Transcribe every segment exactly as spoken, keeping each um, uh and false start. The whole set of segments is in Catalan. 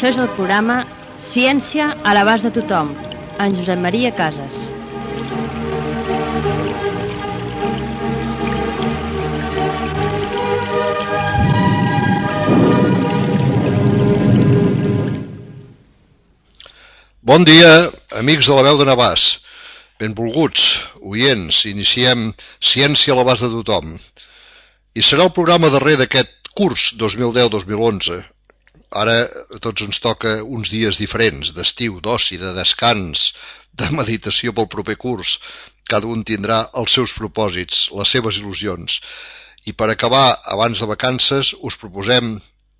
Això és el programa Ciència a l'abast de tothom, en Josep Maria Casas. Bon dia, amics de la veu de Navàs. Benvolguts, oients, iniciem Ciència a l'abast de tothom. I serà el programa darrer d'aquest curs dos mil deu dos mil onze. Ara a tots ens toca uns dies diferents, d'estiu, d'oci, de descans, de meditació pel proper curs. Cada un tindrà els seus propòsits, les seves il·lusions. I per acabar, abans de vacances, us proposem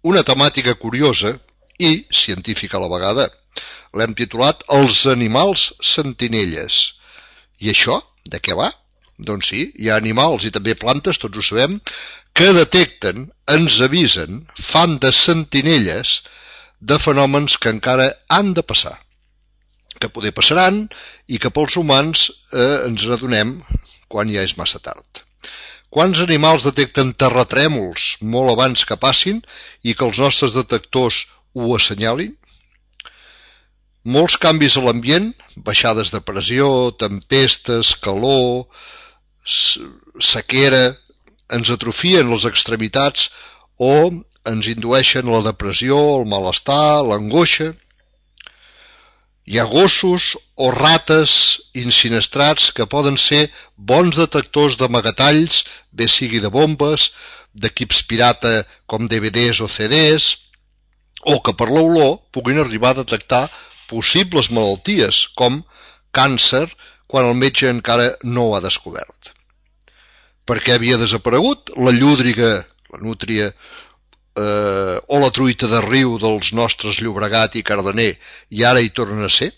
una temàtica curiosa i científica a la vegada. L'hem titulat Els animals sentinelles. I això, de què va? Doncs sí, hi ha animals i també plantes, tots ho sabem, que detecten, ens avisen, fan de sentinelles de fenòmens que encara han de passar, que poder passaran i que pels humans eh, ens n'adonem quan ja és massa tard. Quants animals detecten terratrèmols molt abans que passin i que els nostres detectors ho assenyalin? Molts canvis a l'ambient, baixades de pressió, tempestes, calor, sequera, ens atrofien les extremitats o ens indueixen la depressió, el malestar, l'angoixa. Hi ha gossos o rates insinistrats que poden ser bons detectors d'amagatalls, bé sigui de bombes, d'equips pirata com D V Ds o C Ds, o que per l'olor puguin arribar a detectar possibles malalties, com càncer, quan el metge encara no ho ha descobert. Per què havia desaparegut la llúdriga, la nútria eh, o la truita de riu dels nostres Llobregat i Cardener i ara hi tornen a ser?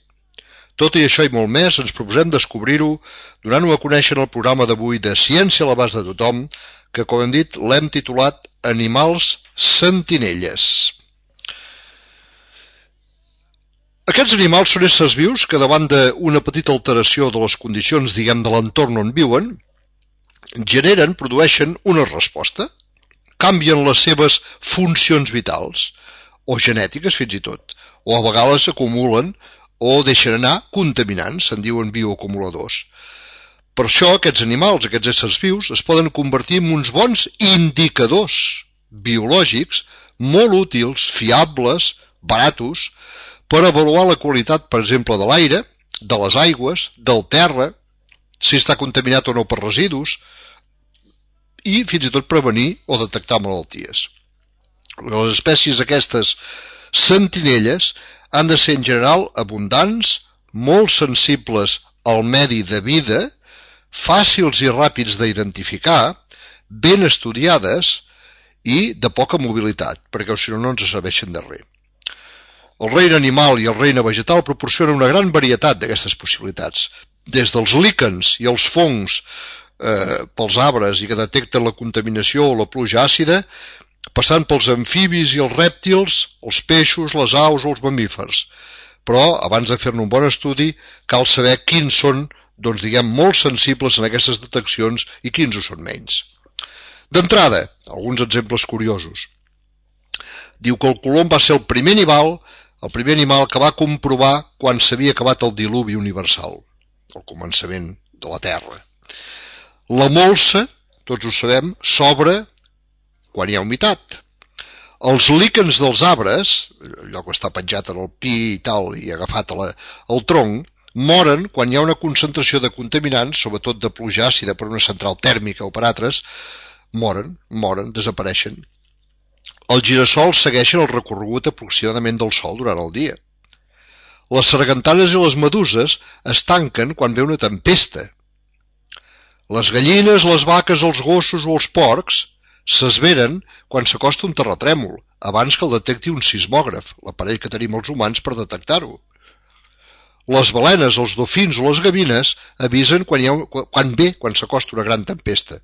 Tot i això i molt més ens proposem descobrir-ho donant-ho a conèixer en el programa d'avui de Ciència a l'abast de tothom, que, com hem dit, l'hem titulat Animals sentinelles. Aquests animals són éssers vius que davant d'una petita alteració de les condicions, diguem, de l'entorn on viuen, generen, produeixen una resposta, canvien les seves funcions vitals, o genètiques fins i tot, o a vegades acumulen o deixen anar contaminants, se'n diuen bioacumuladors. Per això aquests animals, aquests éssers vius, es poden convertir en uns bons indicadors biològics molt útils, fiables, baratos, per avaluar la qualitat, per exemple, de l'aire, de les aigües, del terra, si està contaminat o no per residus, i fins i tot prevenir o detectar malalties. Les espècies aquestes sentinelles han de ser en general abundants, molt sensibles al medi de vida, fàcils i ràpids d'identificar, ben estudiades i de poca mobilitat, perquè si no no ens serveixen de res. El regne animal i el regne vegetal proporcionen una gran varietat d'aquestes possibilitats, des dels líquens i els fongs eh, pels arbres i que detecten la contaminació o la pluja àcida, passant pels amfibis i els rèptils, els peixos, les aus o els mamífers. Però, abans de fer-ne un bon estudi, cal saber quins són, doncs diguem, molt sensibles en aquestes deteccions i quins ho són menys. D'entrada, alguns exemples curiosos. Diu que el colom va ser el primer animal el primer animal que va comprovar quan s'havia acabat el diluvi universal, el començament de la Terra. La molsa, tots ho sabem, s'obre quan hi ha humitat. Els líquens dels arbres, allò que està penjat en el pi i tal i agafat al tronc, moren quan hi ha una concentració de contaminants, sobretot de pluja àcida per una central tèrmica o per altres, moren, moren, desapareixen. Els girassols segueixen el recorregut aproximadament del Sol durant el dia. Les sargantanes i les meduses es tanquen quan ve una tempesta. Les gallines, les vaques, els gossos o els porcs s'esveren quan s'acosta un terratrèmol, abans que el detecti un sismògraf, l'aparell que tenim els humans per detectar-ho. Les balenes, els dofins o les gavines avisen quan, hi ha, quan ve, quan s'acosta una gran tempesta.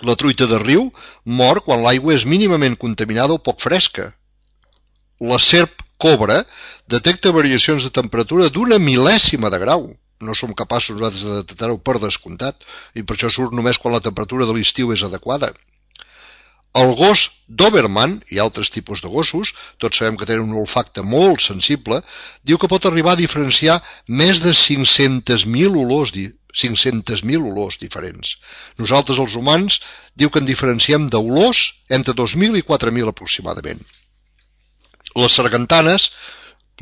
La truita de riu mor quan l'aigua és mínimament contaminada o poc fresca. La serp cobra detecta variacions de temperatura d'una mil·lèsima de grau. No som capaços nosaltres de detectar-ho per descomptat, i per això surt només quan la temperatura de l'estiu és adequada. El gos Doberman i altres tipus de gossos, tots sabem que tenen un olfacte molt sensible, diu que pot arribar a diferenciar més de cinc-centes mil olors, cinc-centes mil olors diferents. Nosaltres, els humans, diu que en diferenciem d'olors entre dos mil i quatre mil aproximadament. Les sargantanes,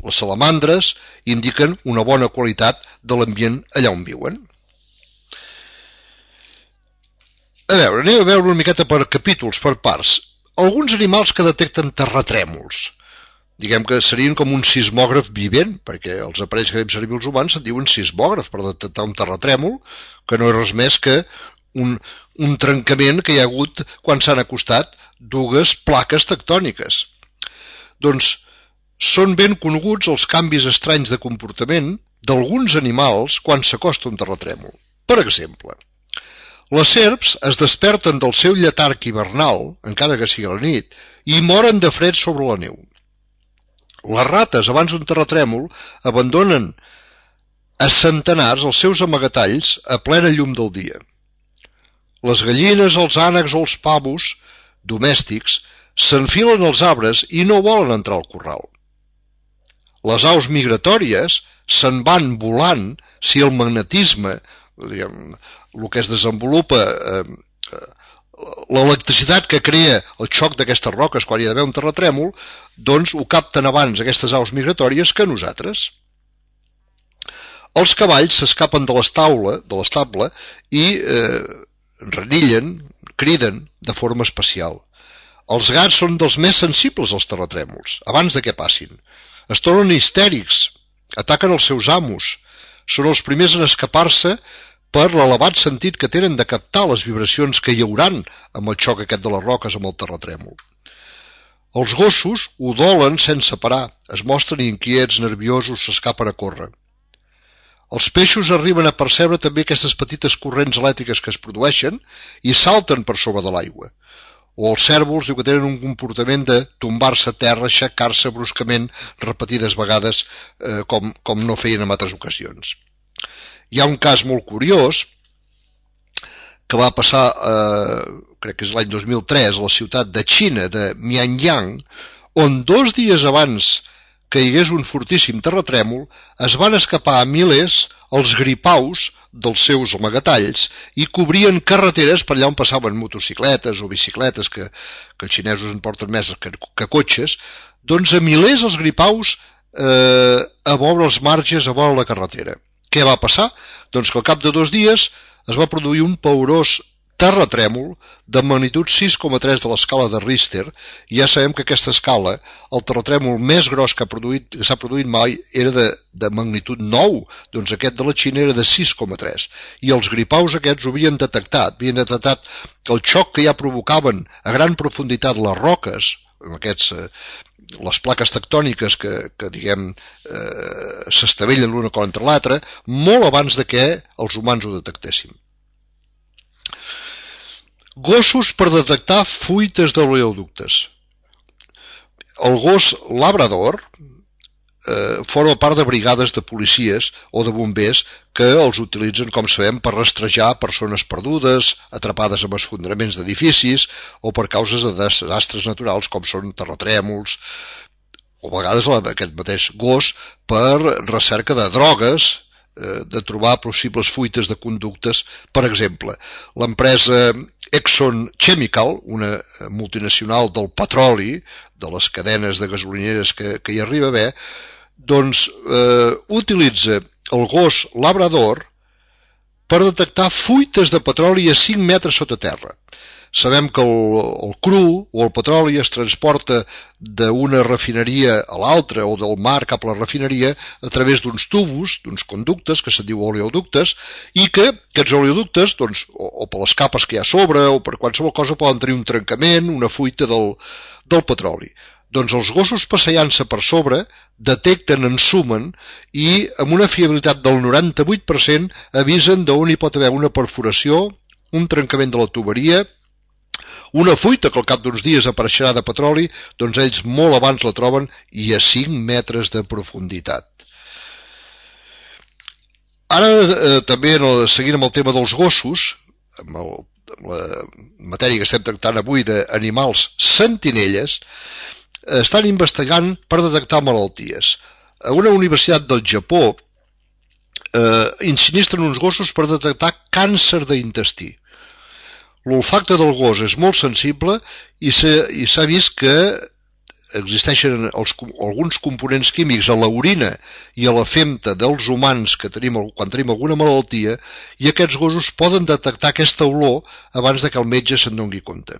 les salamandres, indiquen una bona qualitat de l'ambient allà on viuen. A veure, anem a veure una miqueta per capítols, per parts. Alguns animals que detecten terratrèmols. Diguem que serien com un sismògraf vivent, perquè els aparells que fem servir els humans se'n diuen sismògraf per detectar un terratrèmol, que no és res més que un, un trencament que hi ha hagut quan s'han acostat dues plaques tectòniques. Doncs són ben coneguts els canvis estranys de comportament d'alguns animals quan s'acosta un terratrèmol. Per exemple, les serps es desperten del seu lletarg hivernal, encara que sigui a la nit, i moren de fred sobre la neu. Les rates, abans d'un terratrèmol, abandonen a centenars els seus amagatalls a plena llum del dia. Les gallines, els ànecs o els pavos domèstics s'enfilen als arbres i no volen entrar al corral. Les aus migratòries se'n van volant si el magnetisme, diguem, el que es desenvolupa, eh, l'electricitat que crea el xoc d'aquestes roques quan hi ha d'haver un terratrèmol, doncs ho capten abans aquestes aus migratòries que nosaltres. Els cavalls s'escapen de l'estaula, de l'estable i eh, renillen, criden de forma especial. Els gats són dels més sensibles als terratrèmols, abans de que passin. Es tornen histèrics, ataquen els seus amos, són els primers en escapar-se per l'elevat sentit que tenen de captar les vibracions que hi hauran amb el xoc aquest de les roques amb el terratrèmol. Els gossos udolen sense parar, es mostren inquiets, nerviosos, s'escapen a córrer. Els peixos arriben a percebre també aquestes petites corrents elèctriques que es produeixen i salten per sobre de l'aigua. O els cérvols diu que tenen un comportament de tombar-se a terra, aixecar-se bruscament repetides vegades eh, com, com no feien en altres ocasions. Hi ha un cas molt curiós que va passar, eh, crec que és l'any dos mil tres, a la ciutat de Xina, de Mianyang, on dos dies abans que hi hagués un fortíssim terratrèmol, es van escapar a milers els gripaus dels seus amagatalls i cobrien carreteres per allà on passaven motocicletes o bicicletes, que, que els xinesos en porten més que, que cotxes, doncs a milers els gripaus eh, a vora els marges, a vora la carretera. Què va passar? Doncs que al cap de dos dies es va produir un paurós terratrèmol de magnitud sis coma tres de l'escala de Richter, i ja sabem que aquesta escala, el terratrèmol més gros que s'ha produït mai era de, de magnitud nou, doncs aquest de la Xina era de sis coma tres, i els gripaus aquests ho havien detectat, havien detectat el xoc que ja provocaven a gran profunditat les roques, aquests, eh, les plaques tectòniques que, que diguem, eh, s'estavellen l'una contra l'altra, molt abans de que els humans ho detectéssim. Gossos per detectar fuites d'oleoductes. El gos labrador eh, forma part de brigades de policies o de bombers que els utilitzen, com sabem, per rastrejar persones perdudes, atrapades en esfondraments d'edificis o per causes de desastres naturals com són terratrèmols, o a vegades aquest mateix gos per recerca de drogues, de trobar possibles fuites de conductes. Per exemple, l'empresa Exxon Chemical, una multinacional del petroli, de les cadenes de gasolineres que, que hi arriba a haver, doncs eh, utilitza el gos labrador per detectar fuites de petroli a cinc metres sota terra. Sabem que el, el cru o el petroli es transporta d'una refineria a l'altra o del mar cap a la refineria a través d'uns tubos, d'uns conductes que se'n diu oleoductes, i que aquests oleoductes, doncs, o, o per les capes que hi ha a sobre o per qualsevol cosa, poden tenir un trencament, una fuita del, del petroli. Doncs els gossos passejant-se per sobre detecten, ensumen i amb una fiabilitat del noranta-vuit per cent avisen d'on hi pot haver una perforació, un trencament de la tuberia, una fuita que al cap d'uns dies apareixerà de petroli, doncs ells molt abans la troben i a cinc metres de profunditat. Ara, eh, també, seguint amb el tema dels gossos, amb el, la matèria que estem tractant avui d'animals sentinelles, estan investigant per detectar malalties. A una universitat del Japó eh, insinistren uns gossos per detectar càncer d'intestí. L'olfacte del gos és molt sensible i s'ha vist que existeixen els, alguns components químics a l'orina i a la femta dels humans que tenim quan tenim alguna malaltia, i aquests gossos poden detectar aquesta olor abans de que el metge se'n doni compte.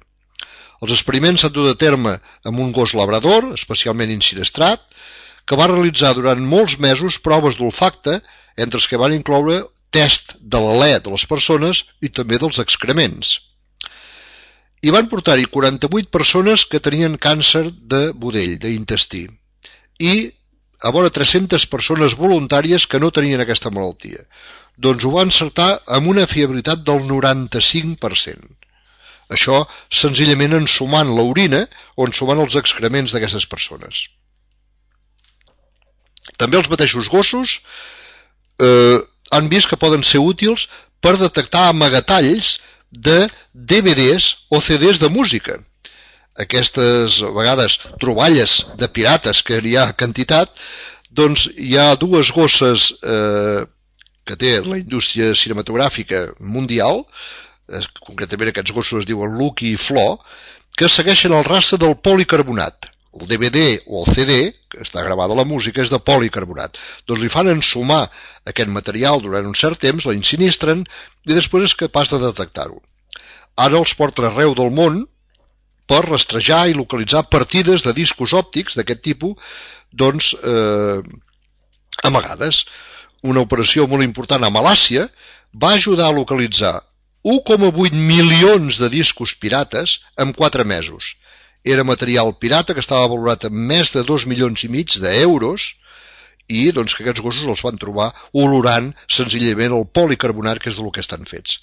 Els experiments s'han dut a terme amb un gos labrador, especialment insinistrat, que va realitzar durant molts mesos proves d'olfacte, entre els que van incloure test de l'alè de les persones i també dels excrements. I van portar-hi quaranta-vuit persones que tenien càncer de budell, d'intestí, i a vora tres-centes persones voluntàries que no tenien aquesta malaltia. Doncs ho van encertar amb una fiabilitat del noranta-cinc per cent. Això senzillament ensumant l'orina o ensumant els excrements d'aquestes persones. També els mateixos gossos eh, han vist que poden ser útils per detectar amagatalls de D V Ds o C Ds de música. Aquestes, a vegades, troballes de pirates, que hi ha quantitat, doncs hi ha dues gosses eh, que té la indústria cinematogràfica mundial, eh, concretament aquests gossos es diuen Lucky i Flo, que segueixen el rastre del policarbonat. El D V D o el C D, que està gravada la música, és de policarbonat. Doncs li fan ensumar aquest material durant un cert temps, la insinistren i després és capaç de detectar-ho. Ara els porten arreu del món per rastrejar i localitzar partides de discos òptics d'aquest tipus, doncs, eh, amagades. Una operació molt important a Malàcia va ajudar a localitzar un coma vuit milions de discos pirates en quatre mesos. Era material pirata que estava valorat en més de dos milions i mig d'euros i doncs, que aquests gossos els van trobar olorant senzillament el policarbonat, que és del que estan fets.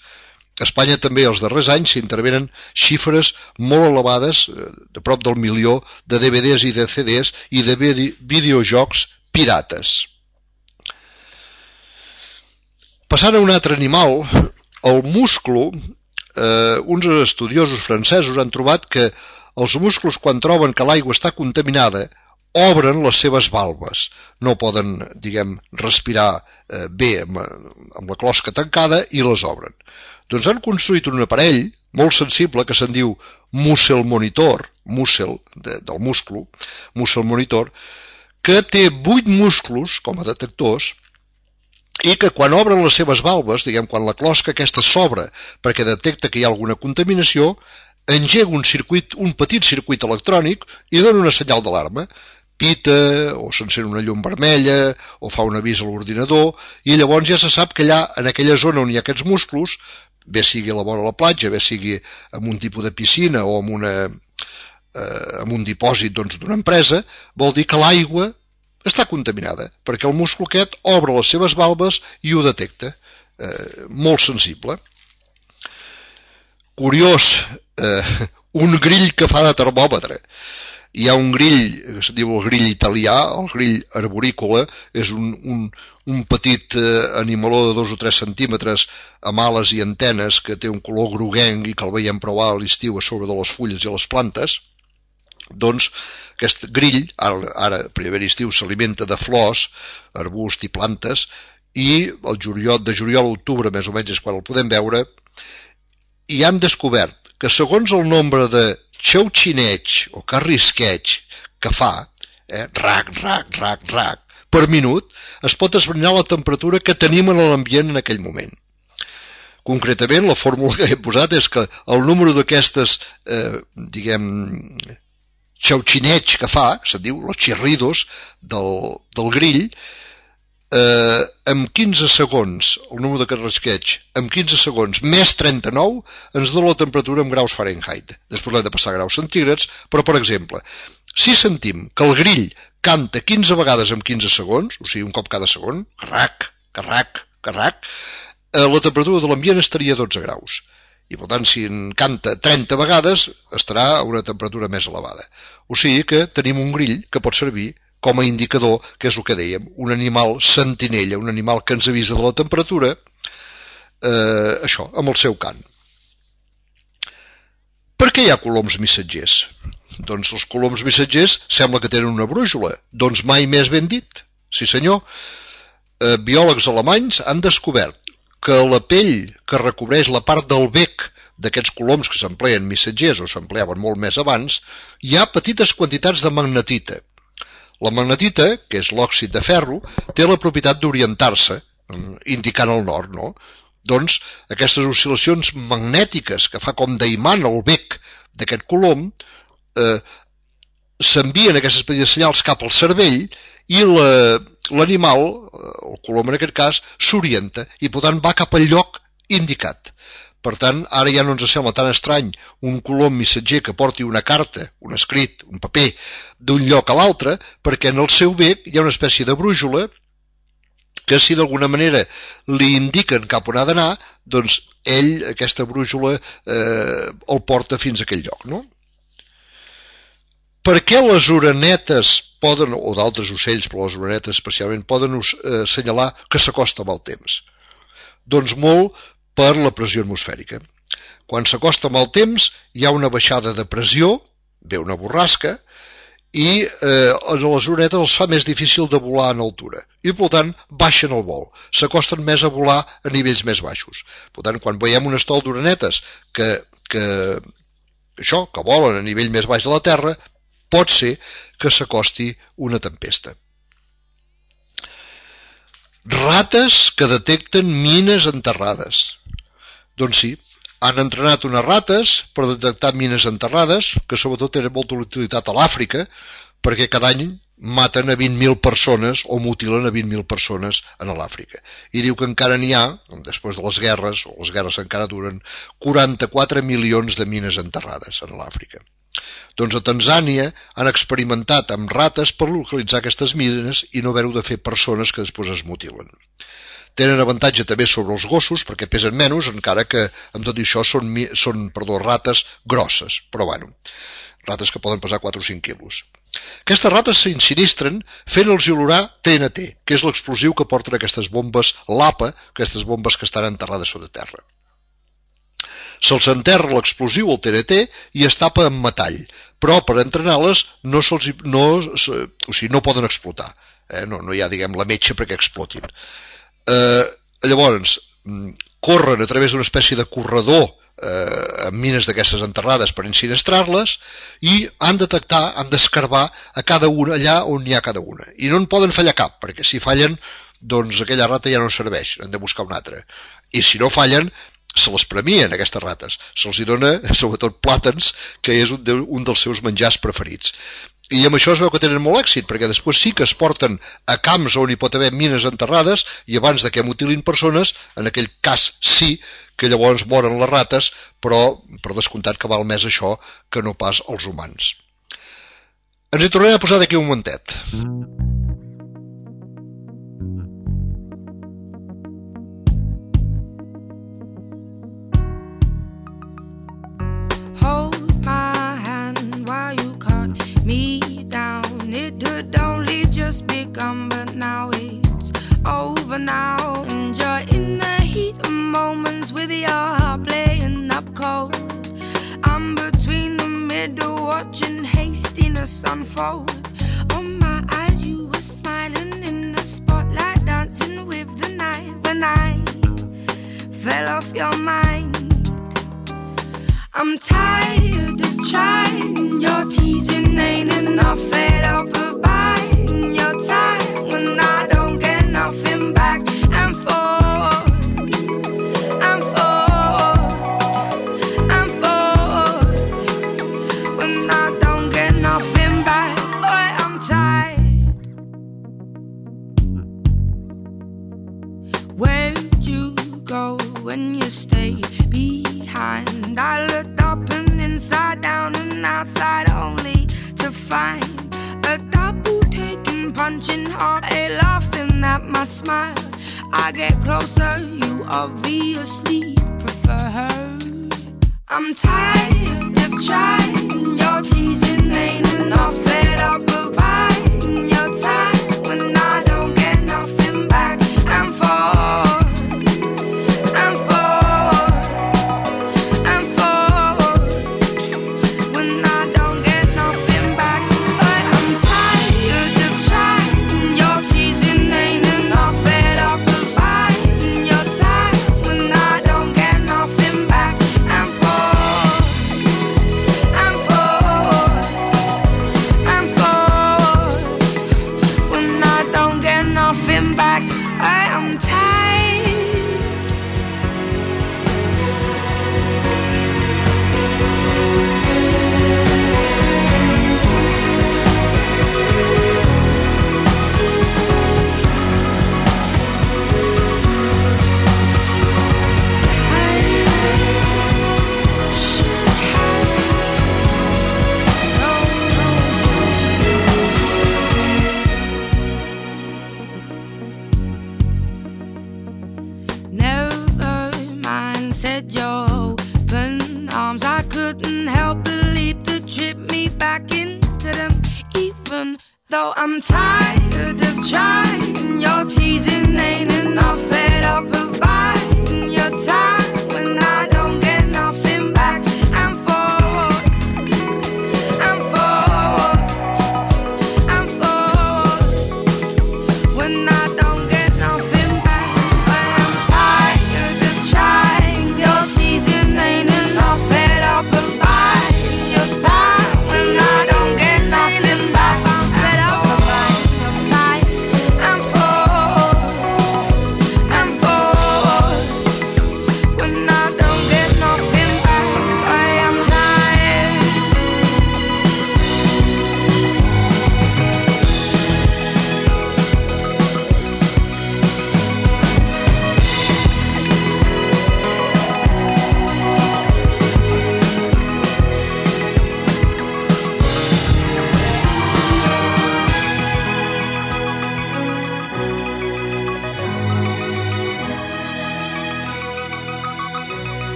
A Espanya també els darrers anys s'intervenen xifres molt elevades, de prop del milió, de D V Ds i de C Ds i de videojocs pirates. Passant a un altre animal, el musclo, eh, uns estudiosos francesos han trobat que els musclos, quan troben que l'aigua està contaminada, obren les seves valves. No poden, diguem, respirar eh, bé amb, amb la closca tancada i les obren. Doncs han construït un aparell molt sensible que se'n diu muscle monitor, muscle de, del musclo, muscle monitor, que té vuit musclos com a detectors i que quan obren les seves valves, diguem, quan la closca aquesta s'obre perquè detecta que hi ha alguna contaminació, engega un circuit, un petit circuit electrònic i dona una senyal d'alarma. Pita, o s'encén una llum vermella, o fa un avís a l'ordinador, i llavors ja se sap que allà, en aquella zona on hi ha aquests musclos, bé sigui a la vora de la platja, bé sigui en un tipus de piscina o en, una, eh, en un dipòsit doncs, d'una empresa, vol dir que l'aigua està contaminada, perquè el musclo aquest obre les seves valves i ho detecta. Eh, molt sensible. Curiós, eh, un grill que fa de termòmetre. Hi ha un grill, que es diu el grill italià, el grill arborícola, és un, un, un petit eh, animaló de dos o tres centímetres amb ales i antenes que té un color groguenc i que el veiem provar a l'estiu a sobre de les fulles i les plantes. Doncs aquest grill, ara, ara primer estiu, s'alimenta de flors, arbusts i plantes, i el juliol, de juliol a octubre més o menys és quan el podem veure, i han descobert que segons el nombre de xauxineig o carrisqueig que fa, eh, rac, rac, rac, rac, per minut, es pot esbrinar la temperatura que tenim en l'ambient en aquell moment. Concretament, la fórmula que he posat és que el número d'aquestes, eh, diguem, xauxineig que fa, se'n diu, los chirridos del, del grill, eh, amb quinze segons, el número de carrisqueig, amb quinze segons, més trenta-nou, ens dona la temperatura en graus Fahrenheit. Després l'hem de passar a graus centígrads, però, per exemple, si sentim que el grill canta quinze vegades en quinze segons, o sigui, un cop cada segon, carrac, carrac, carrac, eh, la temperatura de l'ambient estaria a dotze graus. I, per tant, si en canta trenta vegades, estarà a una temperatura més elevada. O sigui que tenim un grill que pot servir com a indicador, que és el que dèiem, un animal sentinella, un animal que ens avisa de la temperatura, eh, això, amb el seu cant. què hi ha coloms missatgers? Doncs els coloms missatgers sembla que tenen una brúixola. Doncs mai més ben dit. Sí senyor, eh, biòlegs alemanys han descobert que la pell que recobreix la part del bec d'aquests coloms que s'empleen missatgers o s'empleaven molt més abans, hi ha petites quantitats de magnetita. La magnetita, que és l'òxid de ferro, té la propietat d'orientar-se, indicant el nord, no? Doncs aquestes oscil·lacions magnètiques que fa com d'imant el bec d'aquest colom eh, s'envien aquestes petites senyals cap al cervell i l'animal, el colom en aquest cas, s'orienta i per tant va cap al lloc indicat. Per tant, ara ja no ens sembla tan estrany un colom missatger que porti una carta, un escrit, un paper, d'un lloc a l'altre, perquè en el seu bec hi ha una espècie de brúixola que si d'alguna manera li indiquen cap on ha d'anar, doncs ell, aquesta brúixola, eh, el porta fins a aquell lloc, no? Per què les orenetes poden, o d'altres ocells, però les orenetes especialment, poden eh, assenyalar que s'acosta amb el temps? Doncs molt per la pressió atmosfèrica. Quan s'acosta amb el temps hi ha una baixada de pressió, ve una borrasca, i eh, a les orenetes els fa més difícil de volar en altura. I, per tant, baixen el vol. S'acosten més a volar a nivells més baixos. Per tant, quan veiem un estol d'orenetes que, que, això, que volen a nivell més baix de la Terra, pot ser que s'acosti una tempesta. Rates que detecten mines enterrades. Doncs sí, han entrenat unes rates per detectar mines enterrades, que sobretot tenen molta utilitat a l'Àfrica, perquè cada any maten a vint mil persones o mutilen a vint mil persones a l'Àfrica. I diu que encara n'hi ha, després de les guerres, o les guerres encara duren, quaranta-quatre milions de mines enterrades a l'Àfrica. Doncs a Tanzània han experimentat amb rates per localitzar aquestes mines i no haver-ho de fer persones que després es mutilen. Tenen avantatge també sobre els gossos perquè pesen menys, encara que amb tot això són, són perdó, rates grosses, però bueno, rates que poden pesar quatre o cinc quilos. Aquestes rates s'insinistren fent-los olorar T N T, que és l'explosiu que porten aquestes bombes LAPA, aquestes bombes que estan enterrades sota terra. Se'ls enterra l'explosiu, el T N T, i es tapa amb metall, però per entrenar-les no, no, o sigui, no poden explotar. Eh? No, no hi ha, diguem, la metxa perquè explotin. Eh, llavors, corren a través d'una espècie de corredor eh, amb mines d'aquestes enterrades per insinistrar-les i han de detectar, han d'escarbar a cada una allà on hi ha cada una. I no en poden fallar cap, perquè si fallen, doncs aquella rata ja no serveix, han de buscar una altra. I si no fallen, se les premien, aquestes rates. Se'ls dona, sobretot, plàtans, que és un, de, un dels seus menjars preferits. I amb això es veu que tenen molt èxit, perquè després sí que es porten a camps on hi pot haver mines enterrades i abans de que mutilin persones, en aquell cas sí, que llavors moren les rates, però per descomptat que val més això que no pas els humans. Ens hi tornarem a posar d'aquí un momentet. Begun, but now it's over now. Enjoying the heat of moments with your heart playing up cold. I'm between the middle, watching hastiness unfold. On my eyes, you were smiling in the spotlight, dancing with the night. When I fell off your mind, I'm tired of trying. Your teasing ain't enough, fed up of buying your time when I don't get nothing back. And forth, and forth, and forth, when I don't get nothing back. Boy, I'm tired. Where'd you go when you stayed behind? I looked up and inside down and outside only to find a double taking, punching hard, a laughing at my smile. I get closer, you obviously prefer her. I'm tired of trying, your teasing ain't enough, fed up of buying your time when I don't get nothing back. And forth, and forth, and forth,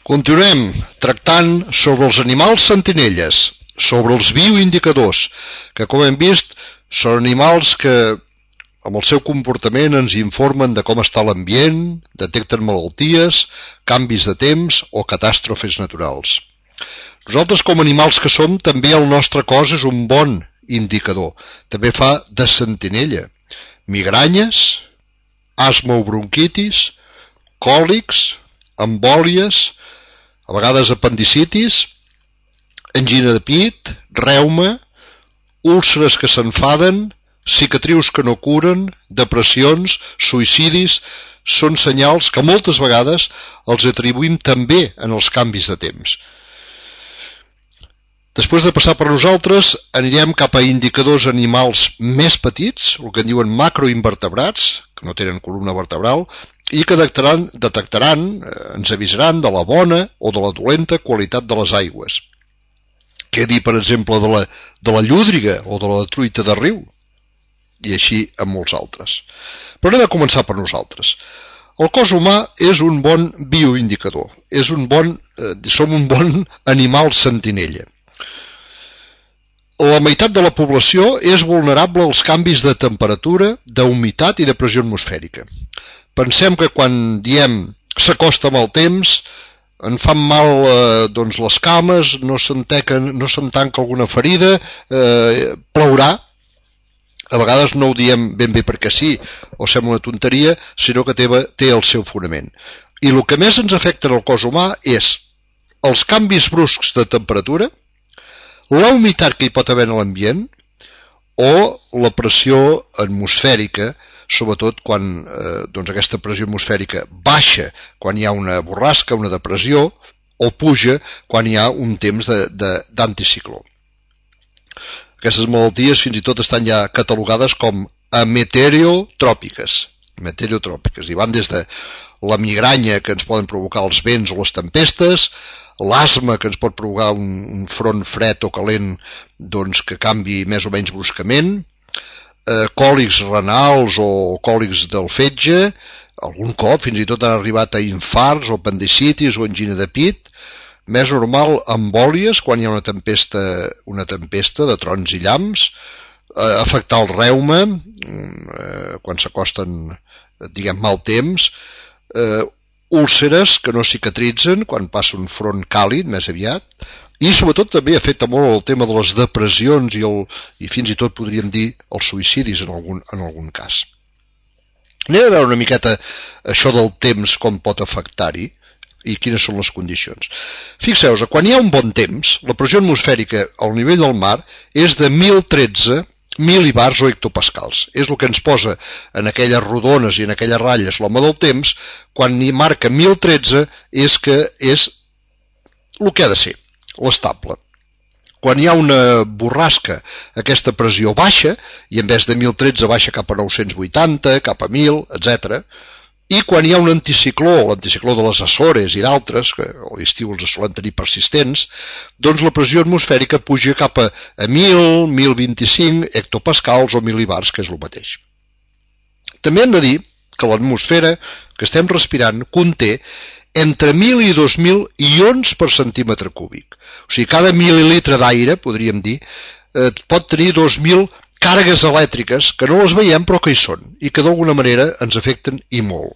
Continuem tractant sobre els animals sentinelles, sobre els bioindicadors, que com hem vist són animals que amb el seu comportament ens informen de com està l'ambient, detecten malalties, canvis de temps o catàstrofes naturals. Nosaltres com a animals que som, també el nostre cos és un bon indicador. També fa de sentinella. Migranyes, asma o bronquitis, còlics, embòlies, a vegades apendicitis, angina de pit, reuma, úlceres que s'enfaden, cicatrius que no curen, depressions, suïcidis, són senyals que moltes vegades els atribuïm també en els canvis de temps. Després de passar per nosaltres, anirem cap a indicadors animals més petits, el que en diuen macroinvertebrats, que no tenen columna vertebral, i que detectaran, detectaran, ens avisaran de la bona o de la dolenta qualitat de les aigües. Què dir, per exemple, de la, de la llúdriga o de la truita de riu? I així amb molts altres. Però anem a començar per nosaltres. El cos humà és un bon bioindicador, és un bon, eh, som un bon animal sentinella. La meitat de la població és vulnerable als canvis de temperatura, d'humitat i de pressió atmosfèrica. Pensem que quan diem s'acosta amb el temps, en fan mal eh, doncs les cames, no se'n no se'n tanca alguna ferida, eh, plourà. A vegades no ho diem ben bé perquè sí, o sembla una tonteria, sinó que té, té el seu fonament. I el que més ens afecta en el cos humà és els canvis bruscs de temperatura, la humitat que hi pot haver en l'ambient o la pressió atmosfèrica, sobretot quan eh, doncs aquesta pressió atmosfèrica baixa quan hi ha una borrasca, una depressió, o puja quan hi ha un temps d'anticicló. Aquestes malalties fins i tot estan ja catalogades com a meteorotròpiques, meteorotròpiques, i van des de la migranya que ens poden provocar els vents o les tempestes, l'asma que ens pot provocar un, un front fred o calent doncs, que canvi més o menys bruscament, eh, còlics renals o còlics del fetge, algun cop fins i tot han arribat a infarts o apendicitis o angina de pit, més normal embòlies quan hi ha una tempesta, una tempesta de trons i llamps, eh, afectar el reuma eh, quan s'acosten, diguem, mal temps, eh, úlceres que no cicatritzen quan passa un front càlid més aviat, i sobretot també afecta molt el tema de les depressions i, el, i fins i tot podríem dir els suïcidis en algun, en algun cas. Anem a veure una miqueta això del temps, com pot afectar-hi i quines són les condicions. Fixeu-vos, quan hi ha un bon temps, la pressió atmosfèrica al nivell del mar és de mil tretze mil·libars o hectopascals. És el que ens posa en aquelles rodones i en aquelles ratlles l'home del temps. Quan hi marca mil tretze és que és el que ha de ser, l'estable. Quan hi ha una borrasca, aquesta pressió baixa, i en vez de mil tretze baixa cap a nou-cents vuitanta, cap a mil, etcètera. I quan hi ha un anticicló, l'anticicló de les Açores i d'altres, que a l'estiu els solen tenir persistents, doncs la pressió atmosfèrica puja cap a mil, mil vint-i-cinc hectopascals o mil·libars, que és el mateix. També hem de dir que l'atmosfera que estem respirant conté entre mil i dos mil ions per centímetre cúbic. O sigui, cada mil·lilitre d'aire, podríem dir, eh, pot tenir dos mil càrregues elèctriques que no les veiem però que hi són i que d'alguna manera ens afecten i molt.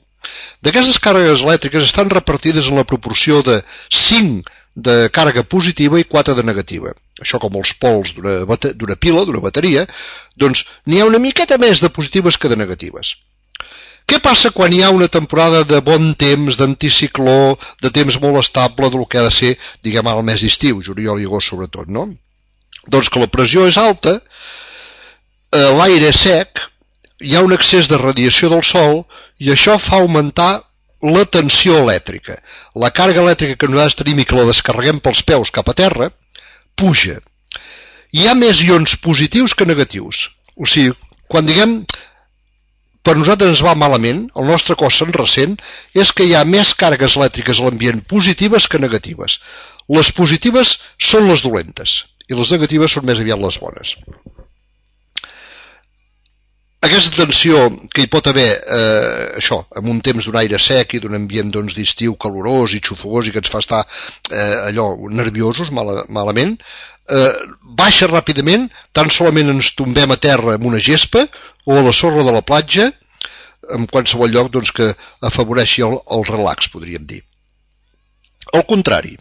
D'aquestes càrregues elèctriques estan repartides en la proporció de cinc de càrrega positiva i quatre de negativa. Això com els pols d'una pila, d'una bateria, doncs n'hi ha una miqueta més de positives que de negatives. Què passa quan hi ha una temporada de bon temps, d'anticicló, de temps molt estable, del que ha de ser, diguem, el mes d'estiu, juliol i agost sobretot, no? Doncs que la pressió és alta, l'aire és sec, hi ha un excés de radiació del sol i això fa augmentar la tensió elèctrica. La càrrega elèctrica que nosaltres tenim i que la descarreguem pels peus cap a terra, puja. Hi ha més ions positius que negatius. O sigui, quan diguem per nosaltres ens va malament, el nostre cos se'n ressent, és que hi ha més càrregues elèctriques a l'ambient positives que negatives. Les positives són les dolentes i les negatives són més aviat les bones. Aquesta tensió que hi pot haver, eh, això, en un temps d'un aire sec i d'un ambient doncs, d'estiu calorós i xufogós i que ens fa estar eh, allò nerviosos, mal, malament, eh, baixa ràpidament, tan solament ens tombem a terra amb una gespa o a la sorra de la platja, en qualsevol lloc doncs, que afavoreixi el, el relax, podríem dir. Al contrari,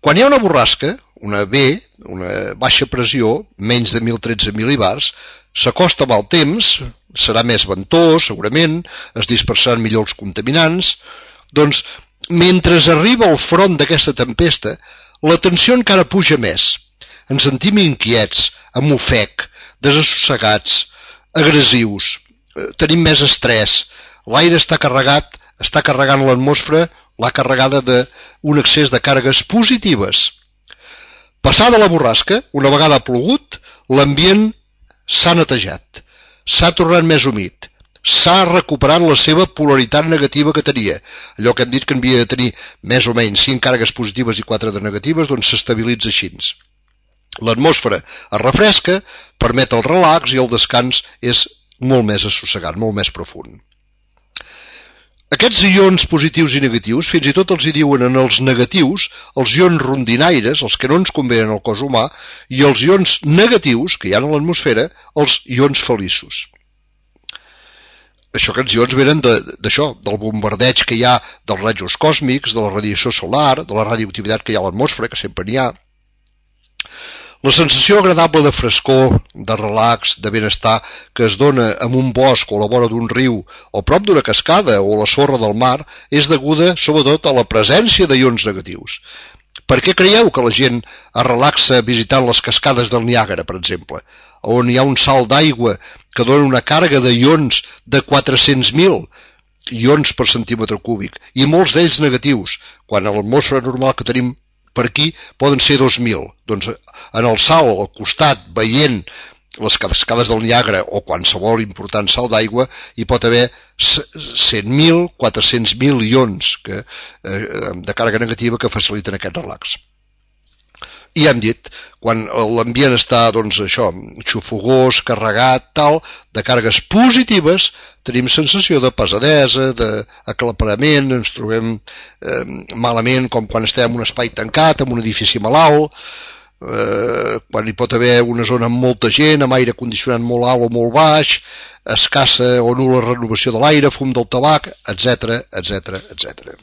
quan hi ha una borrasca, una B, una baixa pressió, menys de mil tretze mil·libars, s'acosta amb el temps, serà més ventós, segurament, es dispersaran millor els contaminants, doncs, mentre arriba al front d'aquesta tempesta, la tensió encara puja més. Ens sentim inquiets, amb ofec, desassossegats, agressius, tenim més estrès, l'aire està carregat, està carregant l'atmosfera, l'ha carregada d'un excés de càrregues positives. Passada la borrasca, una vegada ha plogut, l'ambient s'ha netejat, s'ha tornat més humit, s'ha recuperat la seva polaritat negativa que tenia. Allò que hem dit que havia de tenir més o menys cinc càrregues positives i quatre de negatives, doncs s'estabilitza així. L'atmosfera es refresca, permet el relax i el descans és molt més assossegat, molt més profund. Aquests ions positius i negatius, fins i tot els hi diuen en els negatius, els ions rondinaires, els que no ens convenen al cos humà, i els ions negatius, que hi ha a l'atmosfera, els ions feliços. Això, aquests ions venen d'això, de, del bombardeig que hi ha dels rajos còsmics, de la radiació solar, de la radioactivitat que hi ha a l'atmosfera, que sempre n'hi ha. La sensació agradable de frescor, de relax, de benestar que es dona en un bosc o a la vora d'un riu o prop d'una cascada o a la sorra del mar és deguda sobretot a la presència d'ions negatius. Per què creieu que la gent es relaxa visitant les cascades del Niàgara, per exemple, on hi ha un salt d'aigua que dona una càrrega d'ions de quatre-cents mil ions per centímetre cúbic i molts d'ells negatius, quan a l'atmosfera normal que tenim per aquí poden ser dos mil. Doncs en el salt, al costat, veient les cascades del Niàgara o qualsevol important salt d'aigua, hi pot haver cent mil, quatre-cents mil ions que, eh, de càrrega negativa que faciliten aquest relax. I hem dit, quan l'ambient està, doncs, això, xufogós, carregat, tal, de càrregues positives, tenim sensació de pesadesa, d'aclaparament, ens trobem eh, malament com quan estem en un espai tancat, en un edifici malalt, eh, quan hi pot haver una zona amb molta gent, amb aire condicionat molt alt o molt baix, escassa o nul·la renovació de l'aire, fum del tabac, etcètera, etcètera, etcètera.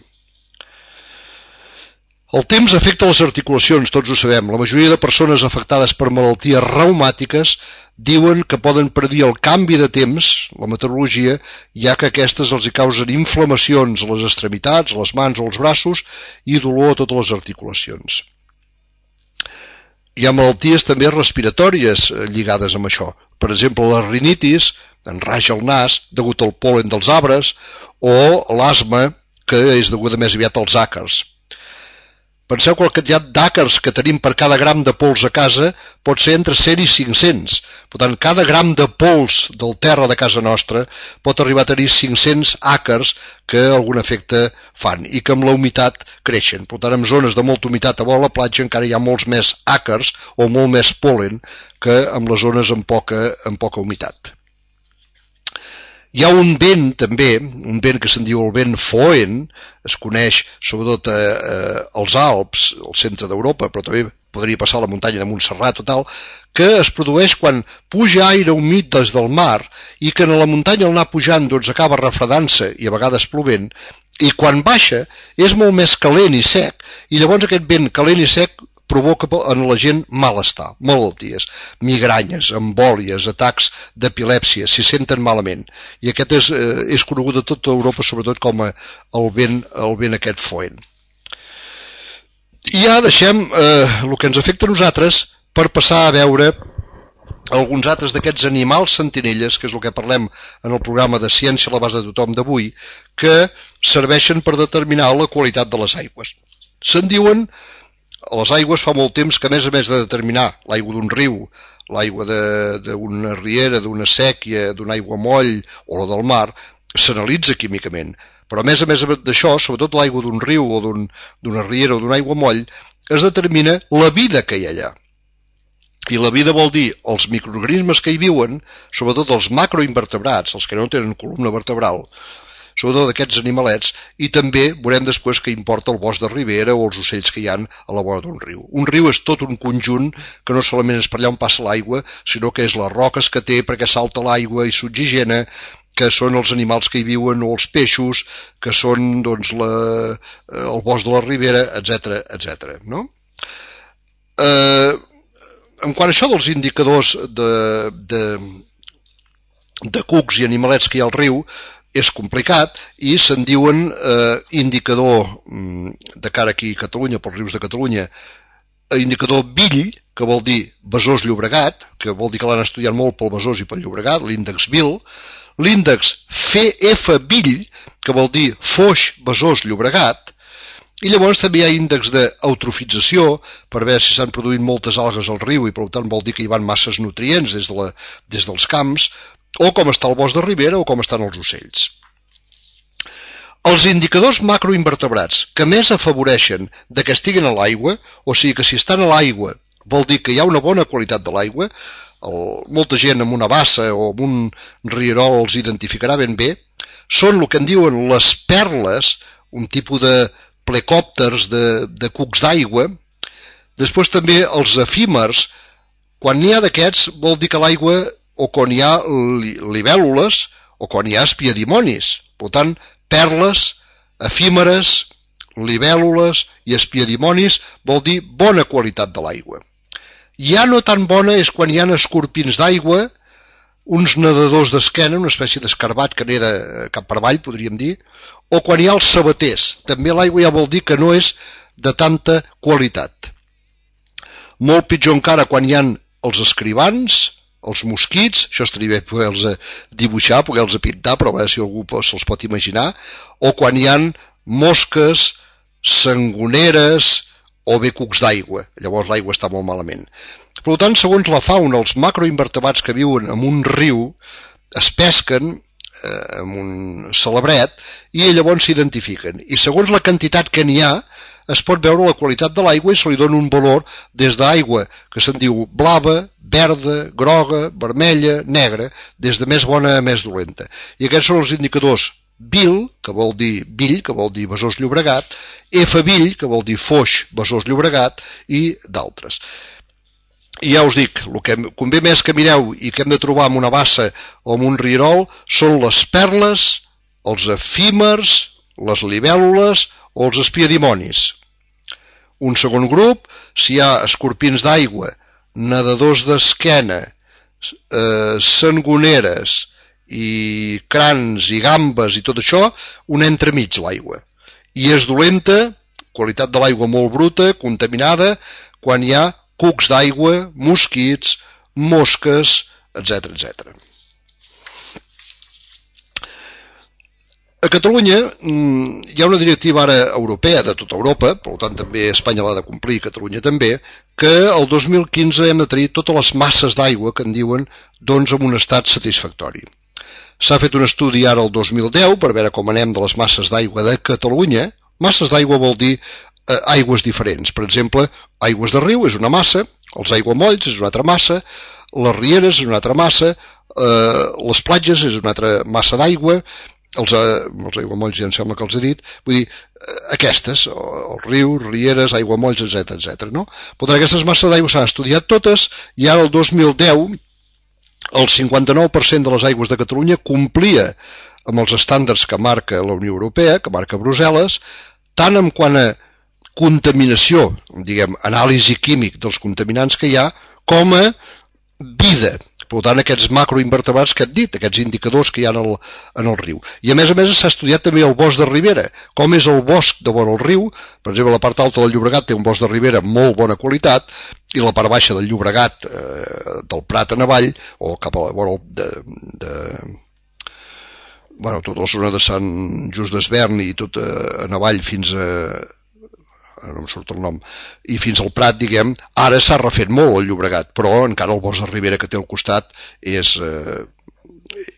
El temps afecta les articulacions, tots ho sabem. La majoria de persones afectades per malalties reumàtiques diuen que poden predir el canvi de temps, la meteorologia, ja que aquestes els hi causen inflamacions a les extremitats, a les mans o als braços i dolor a totes les articulacions. Hi ha malalties també respiratòries lligades amb això. Per exemple, la rinitis, enraja el nas degut al pol·len dels arbres, o l'asma, que és deguda més aviat als àcars. Penseu que el quantitat d'àcars que tenim per cada gram de pols a casa pot ser entre cent i cinc-cents. Per tant, cada gram de pols del terra de casa nostra pot arribar a tenir cinc-cents àcars que algun efecte fan i que amb la humitat creixen. Per tant, en zones de molta humitat a vora la platja encara hi ha molts més àcars o molt més pol·len que en les zones amb poca, amb poca humitat. Hi ha un vent, també, un vent que se'n diu el vent Foehn, es coneix sobretot a, a, als Alps, al centre d'Europa, però també podria passar a la muntanya de Montserrat o tal, que es produeix quan puja aire humit des del mar i que en la muntanya al anar pujant doncs, acaba refredant-se i a vegades plovent, i quan baixa és molt més calent i sec, i llavors aquest vent calent i sec provoca en la gent malestar, malalties, migranyes, embòlies, atacs d'epilèpsia, s'hi senten malament. I aquest és, eh, és conegut a tota Europa, sobretot com a el vent, el vent aquest Foehn. I ja deixem eh, el que ens afecta a nosaltres per passar a veure alguns altres d'aquests animals sentinelles, que és el que parlem en el programa de Ciència a l'abast de tothom d'avui, que serveixen per determinar la qualitat de les aigües. Se'n diuen a les aigües fa molt temps que, a més a més de determinar l'aigua d'un riu, l'aigua d'una riera, d'una sèquia, d'un aiguamoll o la del mar, s'analitza químicament. Però a més a més d'això, sobretot l'aigua d'un riu o d'una riera o d'un aiguamoll, es determina la vida que hi ha allà. I la vida vol dir els microorganismes que hi viuen, sobretot els macroinvertebrats, els que no tenen columna vertebral, sobretot d'aquests animalets, i també veurem després que importa el bosc de ribera o els ocells que hi ha a la vora d'un riu. Un riu és tot un conjunt que no solament és per allà on passa l'aigua, sinó que és les roques que té perquè salta l'aigua i s'oxigena, que són els animals que hi viuen o els peixos, que són doncs, la, el bosc de la ribera, etcètera, etcètera. No? Eh, en quant a això dels indicadors de, de, de cucs i animalets que hi ha al riu, és complicat i se'n diuen eh, indicador de cara aquí a Catalunya, pels rius de Catalunya, indicador Bill, que vol dir Besòs Llobregat, que vol dir que l'han estudiat molt pel Besòs i pel Llobregat, l'índex Bill, l'índex F F Bill, que vol dir Foix Besòs Llobregat, i llavors també hi ha índex d'eutrofització per veure si s'han produït moltes algues al riu i per tant vol dir que hi van masses nutrients des, de la, des dels camps, o com està el bosc de ribera o com estan els ocells. Els indicadors macroinvertebrats que més afavoreixen de que estiguin a l'aigua, o sigui que si estan a l'aigua vol dir que hi ha una bona qualitat de l'aigua, molta gent amb una bassa o amb un rierol els identificarà ben bé, són el que en diuen les perles, un tipus de plecòpters de, de cucs d'aigua. Després també els efímers, quan n'hi ha d'aquests vol dir que l'aigua o quan hi ha libèl·lules o quan hi ha espiadimonis. Per tant, perles, efímeres, libèl·lules i espiadimonis vol dir bona qualitat de l'aigua. Ja no tan bona és quan hi ha escorpins d'aigua, uns nedadors d'esquena, una espècie d'escarbat que neda cap per avall, podríem dir, o quan hi ha els sabaters. També l'aigua ja vol dir que no és de tanta qualitat. Molt pitjor encara quan hi ha els escrivans, els mosquits, això estaria bé poder-los dibuixar, poder-los pintar, però a veure si algú se'ls pot imaginar, o quan hi ha mosques, sangoneres o bé cucs d'aigua. Llavors l'aigua està molt malament. Per tant, segons la fauna, els macroinvertebrats que viuen en un riu es pesquen eh, amb un celebret i llavors s'identifiquen. I segons la quantitat que n'hi ha, es pot veure la qualitat de l'aigua i se li dona un valor des d'aigua que se'n diu blava, verda, groga, vermella, negra, des de més bona a més dolenta. I aquests són els indicadors Bill, que vol dir Bill, que vol dir Besòs Llobregat, F Bill, que vol dir Foix Besòs Llobregat, i d'altres. I ja us dic, el que convé més que mireu i que hem de trobar en una bassa o en un rierol són les perles, els efímers, les libèl·lules o els espiadimonis. Un segon grup, si hi ha escorpins d'aigua, nedadors d'esquena, eh, sangoneres i crans i gambes i tot això, un entremig l'aigua. I és dolenta, qualitat de l'aigua molt bruta, contaminada, quan hi ha cucs d'aigua, mosquits, mosques, etcètera, etcètera. A Catalunya hi ha una directiva ara europea de tota Europa, per tant també Espanya l'ha de complir, Catalunya també, que el dos mil quinze hem de tenir totes les masses d'aigua que en diuen doncs en un estat satisfactori. S'ha fet un estudi ara el dos mil deu per veure com anem de les masses d'aigua de Catalunya. Masses d'aigua vol dir eh, aigües diferents. Per exemple, aigües de riu és una massa, els aiguamolls és una altra massa, les rieres és una altra massa, eh, les platges és una altra massa d'aigua, els, els aiguamolls ja em sembla que els he dit, vull dir, aquestes, els rius, rieres, aiguamolls, etcètera, etcètera, no? Per tant, aquestes masses d'aigua s'han estudiat totes i ara el dos mil deu el cinquanta-nou per cent de les aigües de Catalunya complia amb els estàndards que marca la Unió Europea, que marca Brussel·les, tant en quant a contaminació, diguem, anàlisi químic dels contaminants que hi ha, com a vida. Per tant, aquests macroinvertebrats que hem dit, aquests indicadors que hi ha en el, en el riu. I a més a més s'ha estudiat també el bosc de ribera, com és el bosc de vora el riu. Per exemple, la part alta del Llobregat té un bosc de ribera amb molt bona qualitat i la part baixa del Llobregat, eh, del Prat en avall, o cap a la vora de, de, bueno, tota la zona de Sant Just d'Esvern i tot eh, en avall fins a no em surt el nom, i fins al Prat, diguem, ara s'ha refet molt el Llobregat, però encara el bosc de ribera que té al costat és, eh,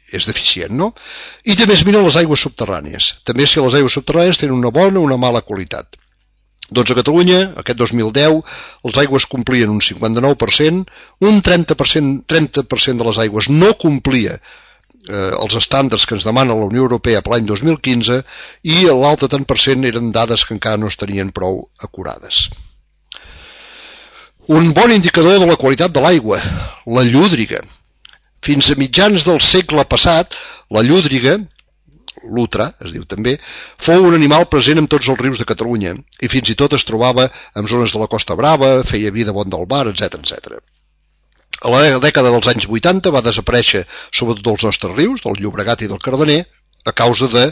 és deficient, no? I també es miren les aigües subterrànies. També si les aigües subterrànies tenen una bona o una mala qualitat. Doncs a Catalunya, aquest dos mil deu, les aigües complien un cinquanta-nou per cent, un trenta per cent, trenta per cent de les aigües no complia eh, els estàndards que ens demana la Unió Europea per l'any dos mil quinze i l'altre tant per cent eren dades que encara no estarien prou acurades. Un bon indicador de la qualitat de l'aigua, la llúdriga. Fins a mitjans del segle passat, la llúdriga, l'utra, es diu també, fou un animal present en tots els rius de Catalunya i fins i tot es trobava en zones de la Costa Brava, feia vida bon del bar, etcètera, etcètera. A la dècada dels anys vuitanta va desaparèixer sobretot dels nostres rius, del Llobregat i del Cardener, a causa de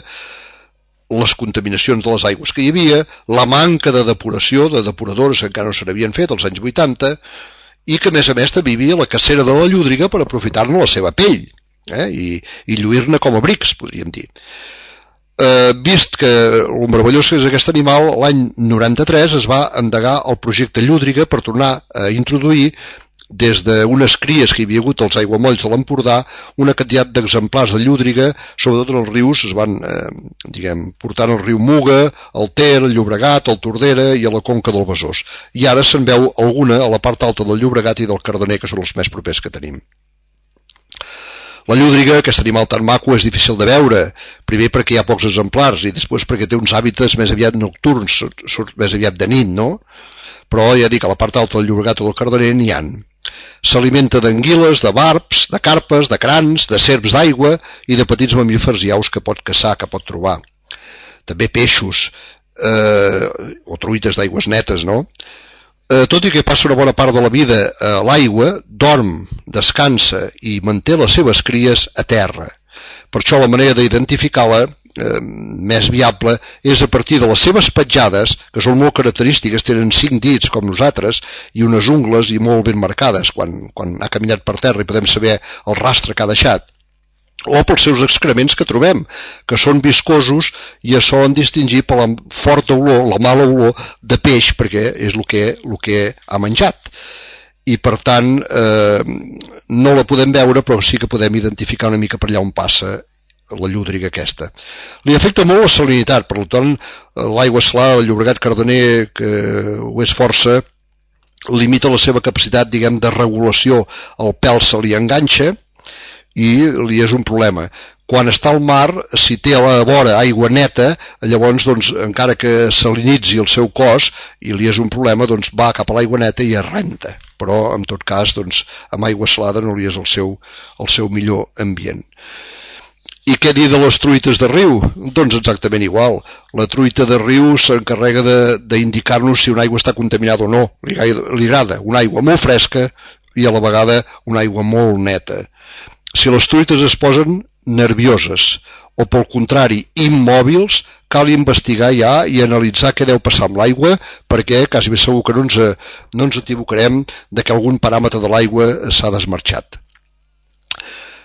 les contaminacions de les aigües que hi havia, la manca de depuració, de depuradores que encara no se n'havien fet als anys vuitanta, i que a més a més també hi havia la cacera de la llúdriga per aprofitar-ne la seva pell, eh? i, i lluir-ne com a brics, podríem dir. Eh, vist que el meravellós que és aquest animal, l'any noranta-tres es va endegar el projecte Llúdriga per tornar a introduir des d'unes cries que hi havia hagut als aiguamolls de l'Empordà, una quantitat d'exemplars de llúdriga, sobretot en els rius, es van eh, diguem, portant al riu Muga, el Ter, el Llobregat, el Tordera i a la conca del Besòs. I ara se'n veu alguna a la part alta del Llobregat i del Cardener, que són els més propers que tenim. La llúdriga, aquest animal tan maco, és difícil de veure, primer perquè hi ha pocs exemplars i després perquè té uns hàbitats més aviat nocturns, surt més aviat de nit, no? Però ja dic, a la part alta del Llobregat o del Cardener n'hi ha. S'alimenta d'anguiles, de barbs, de carpes, de crans, de serps d'aigua i de petits mamífers i aus que pot caçar, que pot trobar. També peixos eh, o truites d'aigües netes, no? Eh, tot i que passa una bona part de la vida a l'aigua, dorm, descansa i manté les seves cries a terra. Per això la manera d'identificar-la eh, més viable és a partir de les seves petjades, que són molt característiques, tenen cinc dits com nosaltres i unes ungles i molt ben marcades quan, quan ha caminat per terra i podem saber el rastre que ha deixat, o pels seus excrements que trobem, que són viscosos i es solen distingir per la forta olor, la mala olor de peix, perquè és el que, el que ha menjat. I per tant eh, no la podem veure, però sí que podem identificar una mica per allà on passa la llúdriga aquesta. Li afecta molt la salinitat, per tant l'aigua salada del Llobregat Cardener, que ho és força, limita la seva capacitat, diguem, de regulació. El pèl se li enganxa i li és un problema. Quan està al mar, si té a la vora aigua neta, llavors, doncs, encara que salinitzi el seu cos i li és un problema, doncs va cap a l'aigua neta i es renta. Però, en tot cas, doncs, amb aigua salada no li és el seu, el seu millor ambient. I què dir de les truites de riu? Doncs exactament igual. La truita de riu s'encarrega d'indicar-nos si una aigua està contaminada o no. Li, li agrada una aigua molt fresca i a la vegada una aigua molt neta. Si les truites es posen nervioses o, pel contrari, immòbils, cal investigar ja i analitzar què deu passar amb l'aigua, perquè quasi ben segur que no ens, no ens equivocarem de que algun paràmetre de l'aigua s'ha desmarxat.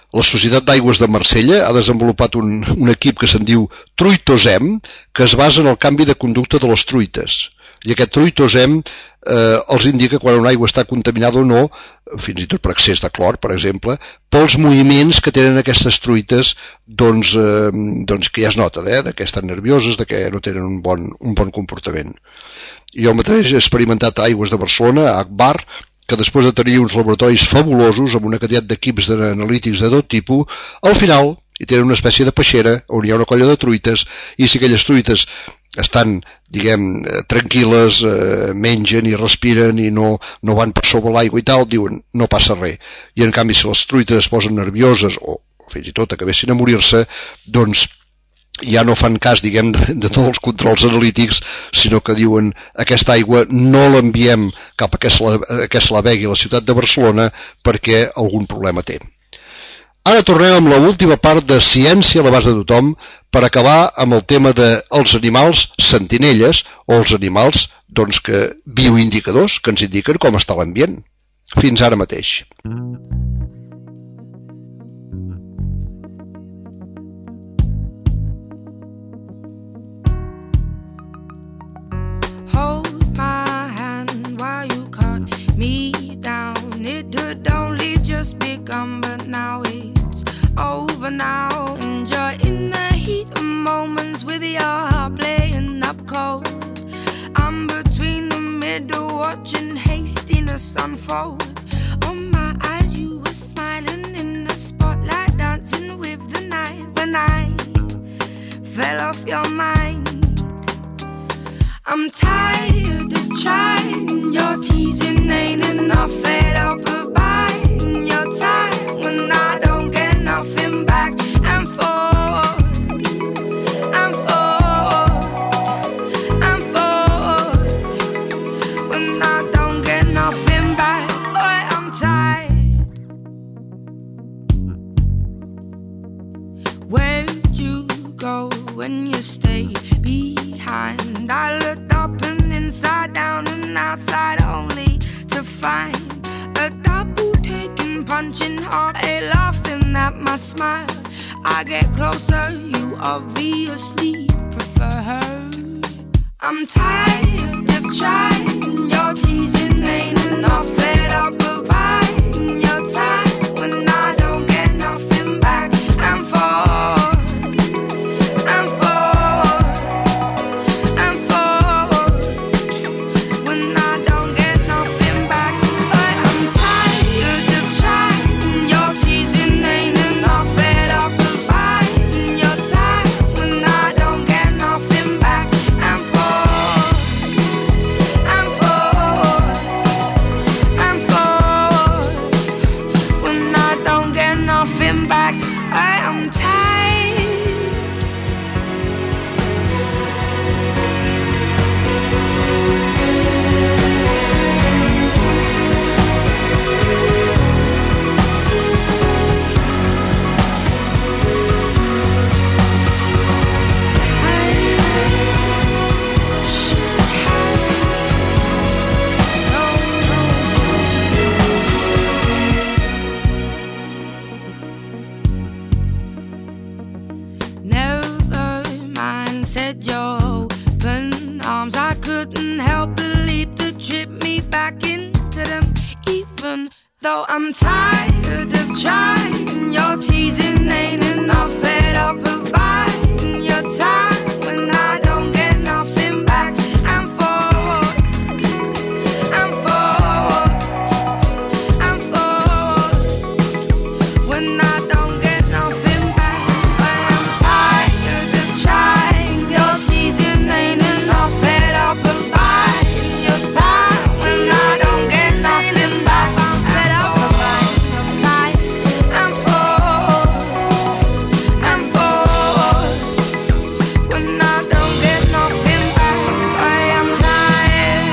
La Societat d'Aigües de Marsella ha desenvolupat un, un equip que se'n diu Truitosem, que es basa en el canvi de conducta de les truites. I aquest Truitosem eh, els indica quan una aigua està contaminada o no, fins i tot per excés de clor, per exemple, pels moviments que tenen aquestes truites, doncs, eh, doncs que ja es nota, eh, de que estan nervioses, de que no tenen un bon, un bon comportament. Jo mateix he experimentat a Aigües de Barcelona, a Agbar, que després de tenir uns laboratoris fabulosos amb una quantitat d'equips analítics de tot tipus, al final hi tenen una espècie de peixera on hi ha una colla de truites i si aquelles truites estan, diguem, tranquil·les, eh, mengen i respiren i no, no van per sobre l'aigua i tal, diuen no passa res. I en canvi si les truites es posen nervioses o fins i tot acabessin a morir-se, doncs ja no fan cas, diguem, de, de tots els controls analítics, sinó que diuen aquesta aigua no l'enviem cap a que se la, a que se la begui a la ciutat de Barcelona perquè algun problema té. Ara tornem amb l'última part de Ciència a l'abast de tothom per acabar amb el tema dels animals sentinelles o els animals, doncs, que bioindicadors que ens indiquen com està l'ambient. Fins ara mateix. Just begun, but now it's over now. Enjoying the heat of moments with your heart playing up cold. I'm but forward. On my eyes you were smiling in the spotlight, dancing with the night. When I fell off your mind, I'm tired of trying. Your teasing ain't enough, fed up of buying your time when I don't get nothing back. And forward, and forward, and forward when I don't get nothing back. Boy, I'm tired. Where'd you go when you stayed behind? I looked up and inside down and outside only to find a double taking, punching hard, a laughing at my smile. I get closer, you obviously prefer her. I'm tired of trying, your teasing ain't enough, fed up of buying your time when I don't get nothing back. And forward, and forward, and forward when I don't get nothing back. But I'm tired of trying, your teasing ain't enough, fed up of buying your time when I don't get nothing back. And forward, and forward, and forward when I don't get nothing back. I am tired. Never mind, said your open arms. I couldn't help but leap to trip me back into them. Even though I'm tired of trying, your teasing ain't enough, fed up of buying your time when I don't get nothing back. And forward, and forward, and forward when I don't get nothing back. But I'm tired of trying, your teasing ain't enough, fed up of buying your time when I don't get nothing back. I'm fed up of buying your time. And forward, and forward when I don't get nothing back. I am tired.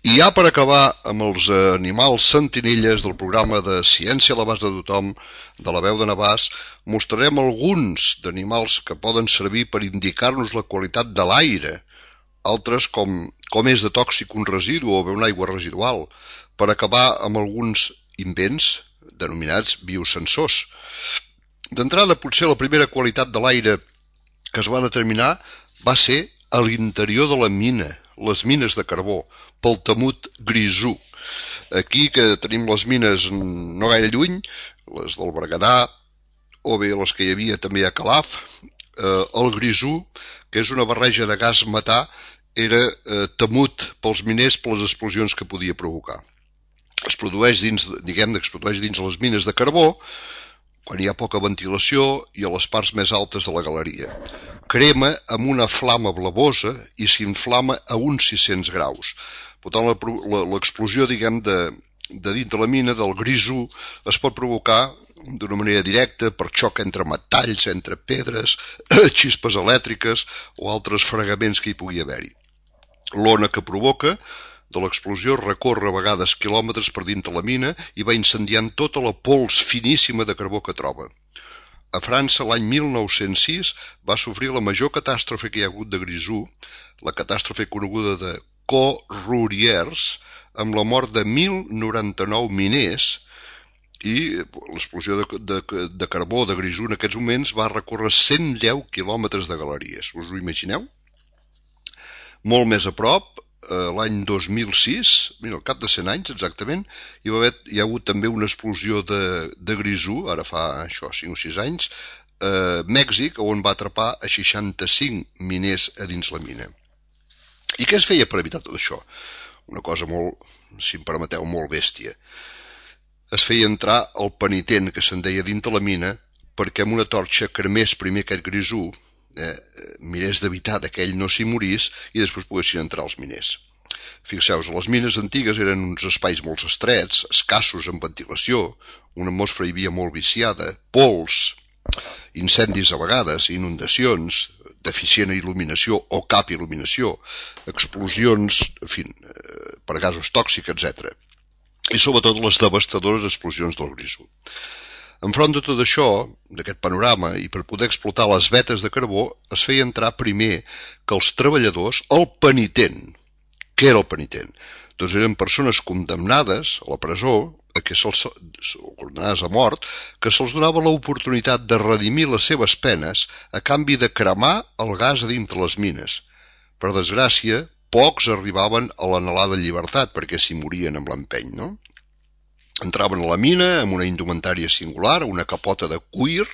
I ja per acabar amb els animals sentinelles del programa de Ciència a l'abast de tothom de la veu de Navàs, mostrarem alguns d'animals que poden servir per indicar-nos la qualitat de l'aire, altres com, com és de tòxic un residu o bé una aigua residual, per acabar amb alguns invents denominats biosensors. D'entrada, potser la primera qualitat de l'aire que es va determinar va ser a l'interior de la mina, les mines de carbó, pel temut grisú. Aquí que tenim les mines no gaire lluny, les del Berguedà o bé les que hi havia també a Calaf, eh, el grisú, que és una barreja de gas metà, era eh, temut pels miners per les explosions que podia provocar. Es produeix dins, diguem, es produeix dins les mines de carbó, quan hi ha poca ventilació i a les parts més altes de la galeria. Crema amb una flama blavosa i s'inflama a uns sis-cents graus. Per tant, l'explosió, diguem, de, de dintre la mina, del grisú, es pot provocar d'una manera directa per xoc entre metalls, entre pedres, xispes elèctriques o altres fregaments que hi pugui haver-hi. L'ona que provoca de l'explosió recorre a vegades quilòmetres per dintre la mina i va incendiant tota la pols finíssima de carbó que troba. A França, l'any mil nou-cents sis, va sofrir la major catàstrofe que hi ha hagut de grisú, la catàstrofe coneguda de Corruriers, amb la mort de mil noranta-nou miners, i l'explosió de, de, de carbó de grisú en aquests moments va recórrer cent deu quilòmetres de galeries. Us ho imagineu? Molt més a prop, l'any dos mil sis, mira, al cap de cent anys exactament, hi, va haver, hi ha hagut també una explosió de, de grisú, ara fa això, cinc o sis anys, a Mèxic, on va atrapar a seixanta-cinc miners a dins la mina. I què es feia per evitar tot això? Una cosa molt, si em permeteu, molt bèstia. Es feia entrar el penitent, que se'n deia dintre la mina, perquè amb una torxa cremés primer aquest grisú, eh, mirés d'evitar que ell no s'hi morís i després poguessin entrar els miners. Fixeu-vos, les mines antigues eren uns espais molt estrets, escassos en ventilació, una atmosfera hi havia molt viciada, pols, incendis a vegades, inundacions, deficient il·luminació o cap il·luminació, explosions, en fi, per gasos tòxics, etcètera. I sobretot les devastadores explosions del grisú. Enfront de tot això, d'aquest panorama, i per poder explotar les vetes de carbó, es feia entrar primer que els treballadors, el penitent. Què era el penitent? Doncs eren persones condemnades a la presó, a que se'ls, condemnades a mort, que se'ls donava l'oportunitat de redimir les seves penes a canvi de cremar el gas a dintre les mines. Per desgràcia, pocs arribaven a l'anhelada llibertat perquè s'hi morien amb l'empeny, no? Entraven a la mina amb una indumentària singular, una capota de cuir,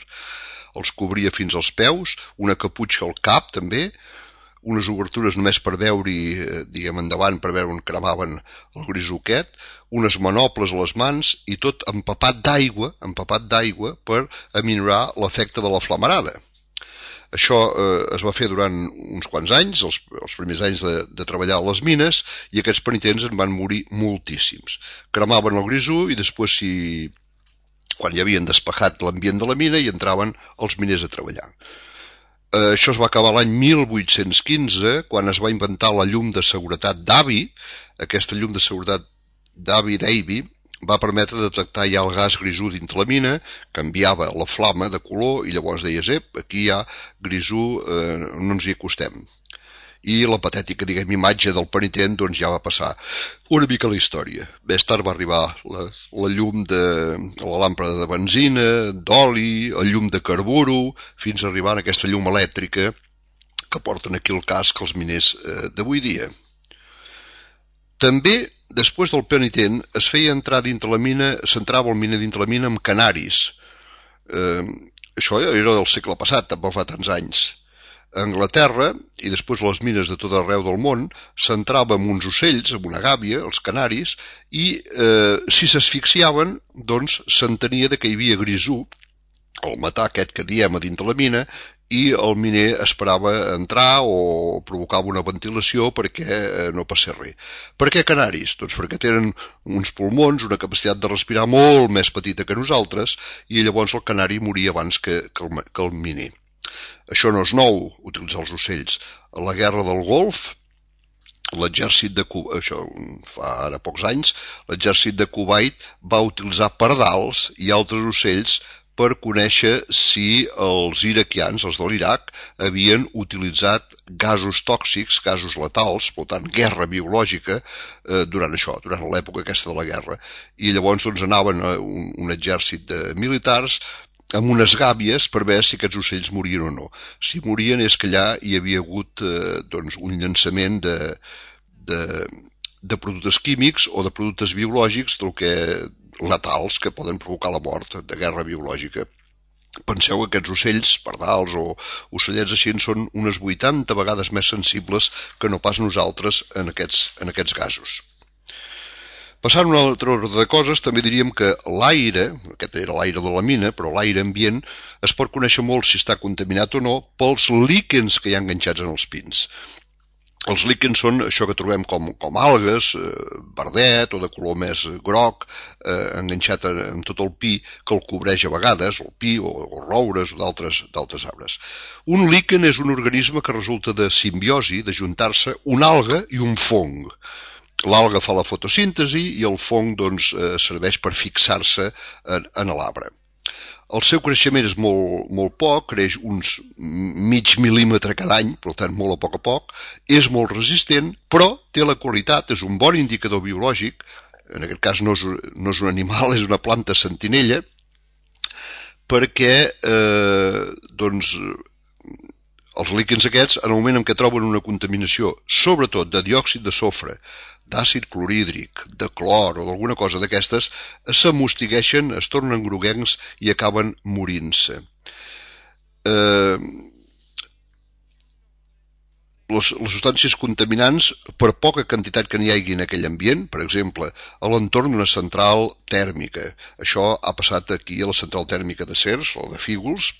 els cobria fins als peus, una caputxa al cap també, unes obertures només per veure-hi, diguem, endavant, per veure on cremaven el grisú aquest, unes manoples a les mans i tot empapat d'aigua, empapat d'aigua per aminorar l'efecte de la flamarada. Això eh, es va fer durant uns quants anys, els, els primers anys de, de treballar a les mines, i aquests penitents en van morir moltíssims. Cremaven el grisú i després, si, quan ja havien despejat l'ambient de la mina, hi entraven els miners a treballar. Eh, això es va acabar l'any mil vuit-cents quinze, quan es va inventar la llum de seguretat Davy. Aquesta llum de seguretat Davy Davy va permetre detectar ja el gas grisú dintre la mina, canviava la flama de color i llavors deies, ep, aquí hi ha grisú, eh, no ens hi acostem. I la patètica, diguem, imatge del penitent doncs ja va passar una mica la història. Més tard va arribar la, la llum de la làmpada de benzina, d'oli, el llum de carburo, fins a arribar a aquesta llum elèctrica que porten aquí el casc els miners eh, d'avui dia. També, després del penitent, es feia entrar dintre la mina, s'entrava el miner dintre la mina amb canaris. Eh, això era del segle passat, tampoc fa tants anys. A Anglaterra, i després les mines de tot arreu del món, s'entrava amb uns ocells, amb una gàbia, els canaris, i eh, si s'asfixiaven, doncs s'entenia que hi havia grisú, el matar aquest que diem a dintre la mina, i el miner esperava entrar o provocava una ventilació perquè no passés res. Per què canaris? Doncs perquè tenen uns pulmons, una capacitat de respirar molt més petita que nosaltres, i llavors el canari moria abans que, que, el, que el miner. Això no és nou, utilitzar els ocells. A la guerra del Golf, l'exèrcit de Kuwait, això fa ara pocs anys, l'exèrcit de Kuwait va utilitzar pardals i altres ocells per conèixer si els iraquians, els de l'Iraq, havien utilitzat gasos tòxics, gasos letals, per tant, guerra biològica, eh, durant això, durant l'època aquesta de la guerra. I llavors doncs, anaven a un, un exèrcit de militars amb unes gàbies per veure si aquests ocells morien o no. Si morien és que allà hi havia hagut eh, doncs, un llançament de, de, de productes químics o de productes biològics del que letals que poden provocar la mort de guerra biològica. Penseu que aquests ocells, pardals o ocellets així, són unes vuitanta vegades més sensibles que no pas nosaltres en aquests, en aquests gasos. Passant a un altre ordre de coses, també diríem que l'aire, aquest era l'aire de la mina, però l'aire ambient es pot conèixer molt si està contaminat o no pels líquens que hi ha enganxats en els pins. Els líquens són això que trobem com, com algues, eh, verdet o de color més groc, eh, enganxat amb tot el pi que el cobreix a vegades, o el pi o, o roures o d'altres arbres. Un líquen és un organisme que resulta de simbiosi, de juntar-se una alga i un fong. L'alga fa la fotosíntesi i el fong doncs, eh, serveix per fixar-se en, en l'arbre. El seu creixement és molt, molt poc, creix uns mig mil·límetre cada any, per tant molt a poc a poc, és molt resistent, però té la qualitat, és un bon indicador biològic, en aquest cas no és, no és un animal, és una planta sentinella, perquè eh, doncs, els líquens aquests, en el moment en què troben una contaminació, sobretot de diòxid de sofre, d'àcid clorhídric, de clor o d'alguna cosa d'aquestes, s'amostigueixen, es tornen groguencs i acaben morint-se. Eh, les, les substàncies contaminants, per poca quantitat que n'hi hagi en aquell ambient, per exemple, a l'entorn d'una central tèrmica, això ha passat aquí a la central tèrmica de Cercs o de Fígols,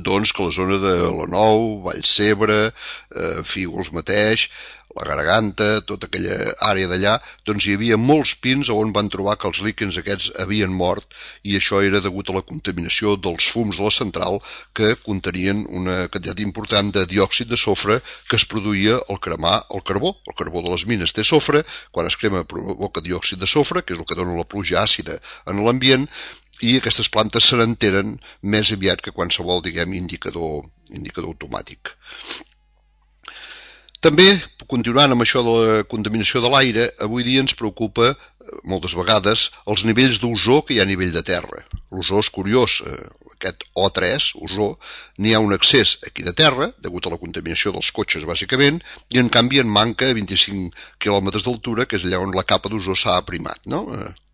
doncs que la zona de la Nou, Vallcebre, eh, Fígols mateix, la Garganta, tota aquella àrea d'allà, doncs hi havia molts pins on van trobar que els líquens aquests havien mort i això era degut a la contaminació dels fums de la central que contenien una quantitat important de diòxid de sofre que es produïa al cremar el carbó. El carbó de les mines té sofre, quan es crema provoca diòxid de sofre, que és el que dona la pluja àcida en l'ambient, i aquestes plantes se n'enteren més aviat que qualsevol, diguem, indicador, indicador automàtic. També, continuant amb això de la contaminació de l'aire, avui dia ens preocupa, moltes vegades, els nivells d'ozó que hi ha a nivell de terra. L'ozó és curiós, aquest O tres, ozó, n'hi ha un excés aquí de terra, degut a la contaminació dels cotxes, bàsicament, i en canvi en manca a vint-i-cinc quilòmetres d'altura, que és allà on la capa d'ozó s'ha aprimat, no?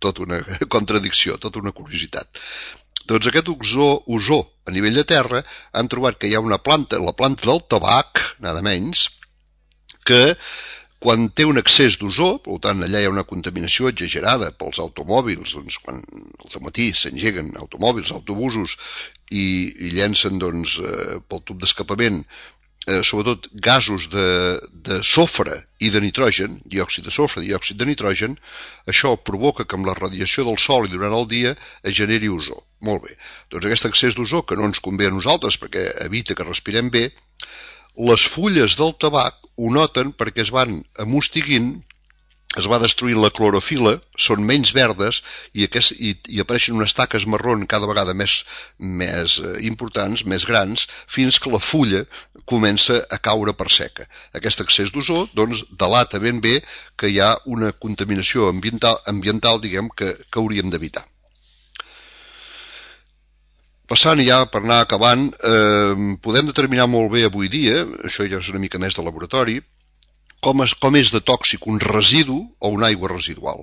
Tota una contradicció, tota una curiositat. Doncs aquest ozó, ozó a nivell de terra han trobat que hi ha una planta, la planta del tabac, nada menys, que quan té un excés d'ozó, per tant allà hi ha una contaminació exagerada pels automòbils, doncs quan al matí s'engeguen automòbils, autobusos i, i llencen doncs, eh, pel tub d'escapament eh, sobretot gasos de, de sofre i de nitrogen, diòxid de sofre, diòxid de nitrogen, això provoca que amb la radiació del sol i durant el dia es generi ozó. Molt bé, doncs aquest excés d'ozó que no ens convé a nosaltres perquè evita que respirem bé, les fulles del tabac ho noten perquè es van amostiguint, es va destruint la clorofila, són menys verdes i, aquest, i, i apareixen unes taques marrón cada vegada més, més importants, més grans, fins que la fulla comença a caure per seca. Aquest excés d'ozó doncs, delata ben bé que hi ha una contaminació ambiental, ambiental diguem, que, que hauríem d'evitar. Passant ja per anar acabant, eh, podem determinar molt bé avui dia, això ja és una mica més de laboratori, com és, com és de tòxic un residu o una aigua residual.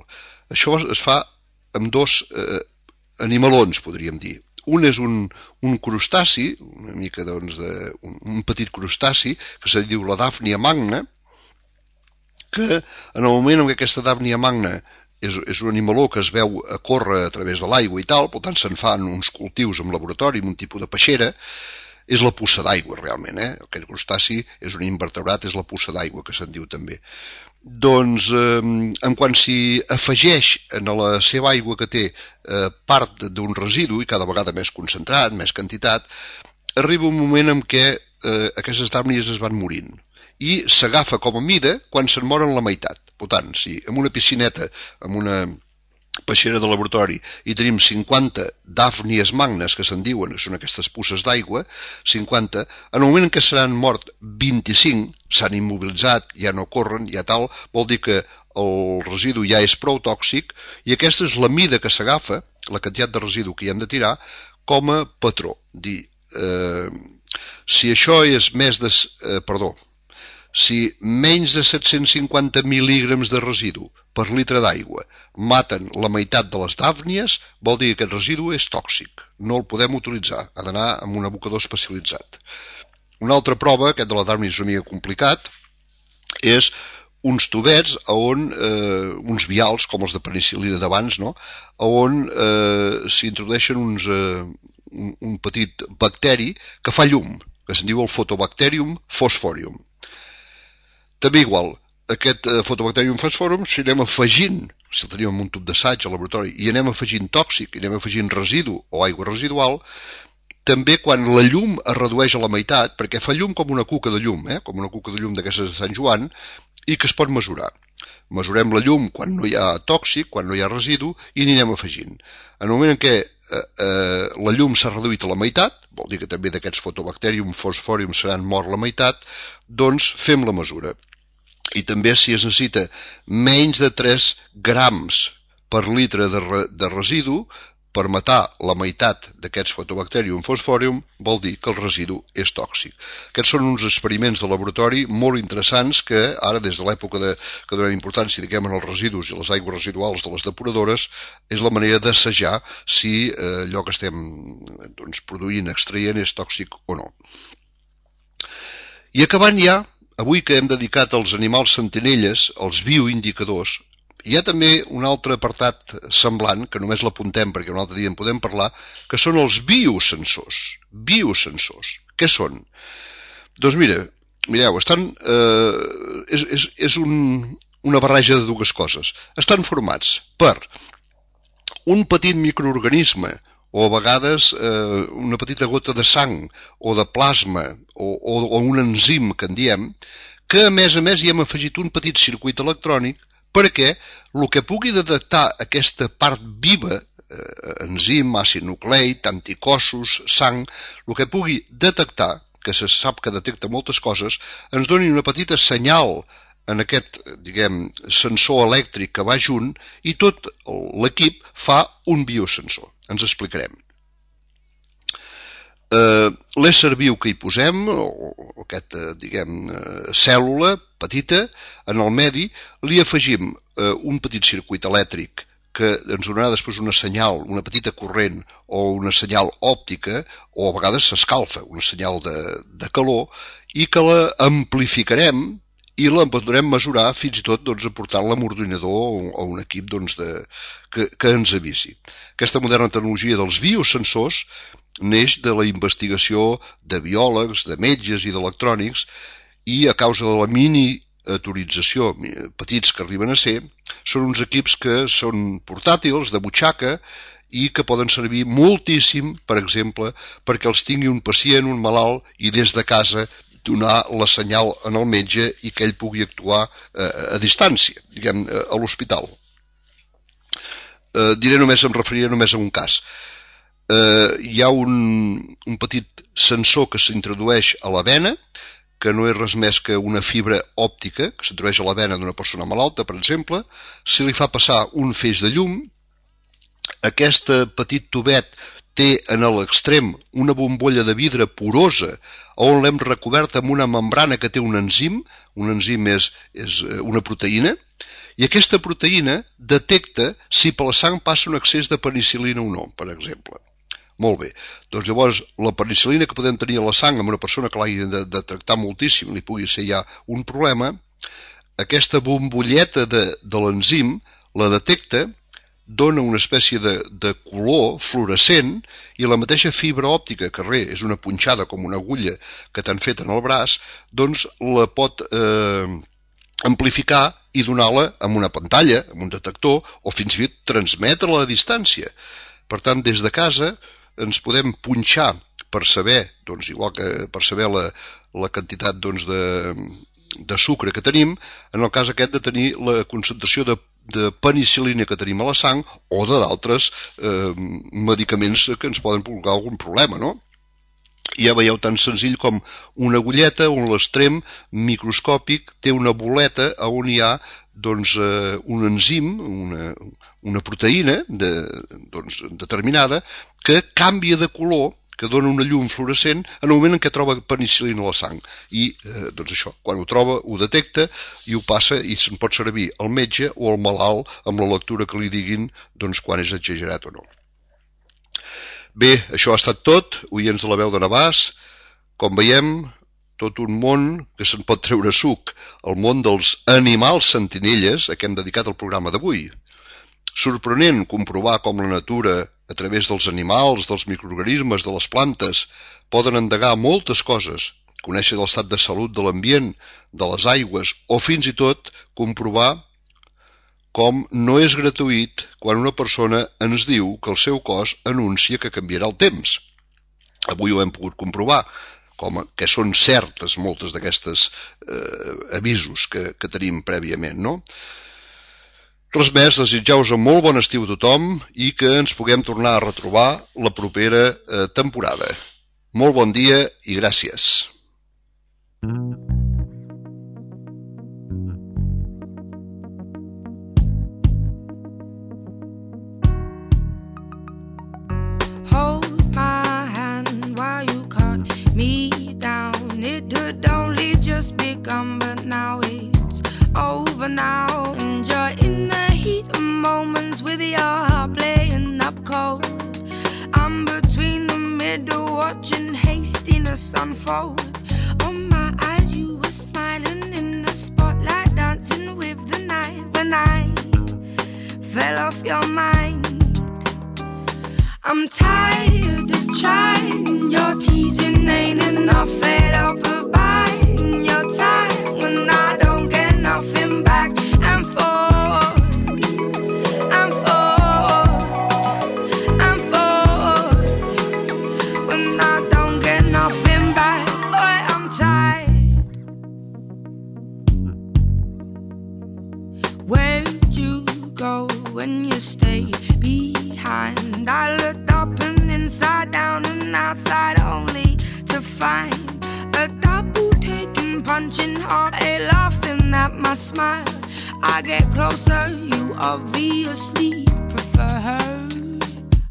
Això es fa amb dos eh, animalons, podríem dir. Un és un, un crustaci, una mica doncs, de, un, un petit crustaci, que se diu la Daphnia magna, que en el moment en què aquesta Daphnia magna És, és un animaló que es veu a córrer a través de l'aigua i tal, per tant se'n fan uns cultius en laboratori, amb un tipus de peixera, és la puça d'aigua realment, eh? Aquest crustaci és un invertebrat, és la puça d'aigua que se'n diu també. Doncs eh, en quan s'hi afegeix en la seva aigua que té eh, part d'un residu, i cada vegada més concentrat, més quantitat, arriba un moment en què eh, aquestes dàrnies es van morint. I s'agafa com a mida quan se'n moren la meitat. Per tant, si en una piscineta, en una peixera de laboratori, hi tenim cinquanta dàfnies magnes, que se'n diuen, que són aquestes puces d'aigua, cinquanta, en el moment en què s'han mort vint-i-cinc, s'han immobilitzat, ja no corren, ja tal, vol dir que el residu ja és prou tòxic, i aquesta és la mida que s'agafa, la quantitat de residu que hi hem de tirar, com a patró. Dir, eh, si això és més de... Eh, perdó, si menys de set-cents cinquanta mil·lígrams de residu per litre d'aigua maten la meitat de les dàfnies, vol dir que aquest residu és tòxic. No el podem utilitzar, ha d'anar amb un abocador especialitzat. Una altra prova, aquest de la dàfnia és una mica complicat, és uns tubets on, eh, uns vials, com els de penicil·lina d'abans, no? On eh, s'introdueixen uns, eh, un, un petit bacteri que fa llum, que se'n diu el Photobacterium phosphorium. També igual, aquest eh, Photobacterium falciforum, si anem afegint, si el tenim en un tub d'assaig al laboratori, i anem afegint tòxic, i anem afegint residu o aigua residual, també quan la llum es redueix a la meitat, perquè fa llum com una cuca de llum, eh? com una cuca de llum d'aquestes de Sant Joan, i que es pot mesurar. Mesurem la llum quan no hi ha tòxic, quan no hi ha residu, i n'hi anem afegint. En el moment en què eh, eh, la llum s'ha reduït a la meitat, vol dir que també d'aquests Photobacterium falciforum seran mort la meitat, doncs fem la mesura. I també si es necessita menys de tres grams per litre de, re, de residu per matar la meitat d'aquests Photobacterium falciforum, vol dir que el residu és tòxic. Aquests són uns experiments de laboratori molt interessants que ara, des de l'època de, que donem importància diguem, en els residus i les aigües residuals de les depuradores, és la manera d'assajar si eh, allò que estem doncs, produint, extraient, és tòxic o no. I acabant ja, avui que hem dedicat als animals sentinelles, als bioindicadors, hi ha també un altre apartat semblant, que només l'apuntem perquè un altre dia en podem parlar, que són els biosensors. Biosensors. Què són? Doncs mira, mireu, estan, eh, és, és, és un, una barreja de dues coses. Estan formats per un petit microorganisme, o a vegades eh, una petita gota de sang, o de plasma, o, o, o un enzim, que en diem, que a més a més hi hem afegit un petit circuit electrònic perquè el que pugui detectar aquesta part viva, eh, enzim, àcid nucleic, anticossos, sang, el que pugui detectar, que se sap que detecta moltes coses, ens doni una petita senyal en aquest, diguem, sensor elèctric que va junt i tot l'equip fa un biosensor. Ens explicarem. Uh, l'ésser viu que hi posem, o, o aquesta, diguem, uh, cèl·lula petita, en el medi, li afegim uh, un petit circuit elèctric que ens donarà després una senyal, una petita corrent o una senyal òptica, o a vegades s'escalfa, una senyal de, de calor, i que la amplificarem i la podrem mesurar fins i tot doncs, aportant l'ordinador o un equip doncs, de, que, que ens avisi. Aquesta moderna tecnologia dels biosensors neix de la investigació de biòlegs, de metges i d'electrònics i a causa de la miniaturització, petits que arriben a ser, són uns equips que són portàtils, de butxaca, i que poden servir moltíssim, per exemple, perquè els tingui un pacient, un malalt, i des de casa donar la senyal en el metge i que ell pugui actuar eh, a distància, diguem, a l'hospital. Eh, diré només, em referiré només a un cas. Eh, hi ha un, un petit sensor que s'introdueix a la vena, que no és res més que una fibra òptica que s'introdueix a la vena d'una persona malalta, per exemple, si li fa passar un feix de llum, aquest petit tubet té en l'extrem una bombolla de vidre porosa on l'hem recobert amb una membrana que té un enzim, un enzim és, és una proteïna, i aquesta proteïna detecta si per la sang passa un excés de penicil·lina o no, per exemple. Molt bé, doncs llavors la penicil·lina que podem tenir a la sang amb una persona que l'hagi de, de tractar moltíssim, li pugui ser ja un problema, aquesta bombolleta de, de l'enzim la detecta, dona una espècie de, de color fluorescent i la mateixa fibra òptica, que res, és una punxada com una agulla que t'han fet en el braç, doncs la pot eh, amplificar i donar-la amb una pantalla, amb un detector, o fins i tot transmetre-la a distància. Per tant, des de casa ens podem punxar per saber, doncs, igual que per saber la, la quantitat doncs, de, de sucre que tenim, en el cas aquest de tenir la concentració de de penicil·lina que tenim a la sang o de d'altres eh, medicaments que ens poden provocar algun problema, no? I ja veieu tan senzill com una agulleta on l'extrem microscòpic té una boleta on hi ha doncs, eh, un enzim, una, una proteïna de, doncs, determinada que canvia de color, que dona una llum fluorescent en el moment en què troba penicil·lina a la sang. I, eh, doncs això, quan ho troba, ho detecta i ho passa i se'n pot servir al metge o al malalt amb la lectura que li diguin doncs, quan és exagerat o no. Bé, això ha estat tot, oients de la veu de Navàs. Com veiem, tot un món que se'n pot treure suc, el món dels animals sentinelles a què hem dedicat el programa d'avui. Sorprenent comprovar com la natura, a través dels animals, dels microorganismes, de les plantes, poden endegar moltes coses conèixer l'estat de salut de l'ambient, de les aigües, o fins i tot comprovar com no és gratuït quan una persona ens diu que el seu cos anuncia que canviarà el temps. Avui ho hem pogut comprovar, com que són certes moltes d'aquestes eh, avisos que, que tenim prèviament, no? Res més, desitjar-vos un molt bon estiu a tothom i que ens puguem tornar a retrobar la propera eh, temporada. Molt bon dia i gràcies. Hold my hand while you cut me down. It had only just begun, but now it's over now. And you're in the heat of moments with your heart playing up cold. I'm between the middle watching hastiness unfold. On my eyes you were smiling in the spotlight, dancing with the night. When I fell off your mind, I'm tired of trying. Your teasing ain't enough. Fed up of biding your time when I don't get nothing back. And forward, and forward, and forward when I don't get nothing back. Boy, I'm tired. Where'd you go when you stayed behind? I looked up and inside down and outside only to find a double taking, punching hard, a laughing at my smile. I get closer, you obviously prefer her.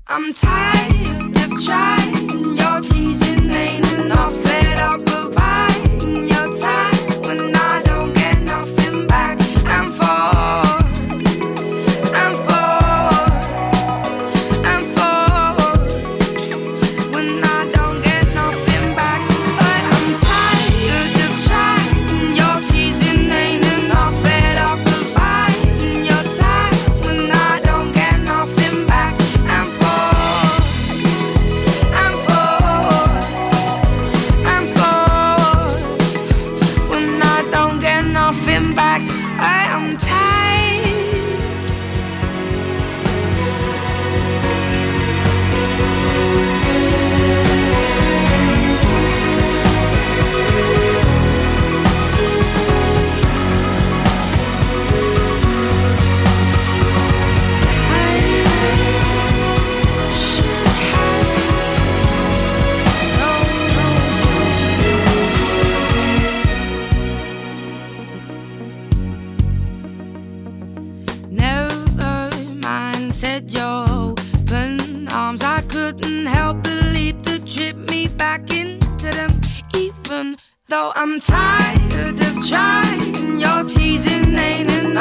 I'm tired of trying, your teasing ain't enough. Fed up of biding your time when I don't get nothing back. And forward, and forward, and forward when I don't get nothing back. But I'm tired of trying, your teasing ain't enough. Fed up of biding your time when I don't get nothing back. And forward, and forward, and forward when I don't get nothing back. I am tired. I should have known. Never mind, said your open arms. I couldn't help but leap to trip me back into them. Even though I'm tired of trying, your teasing ain't enough.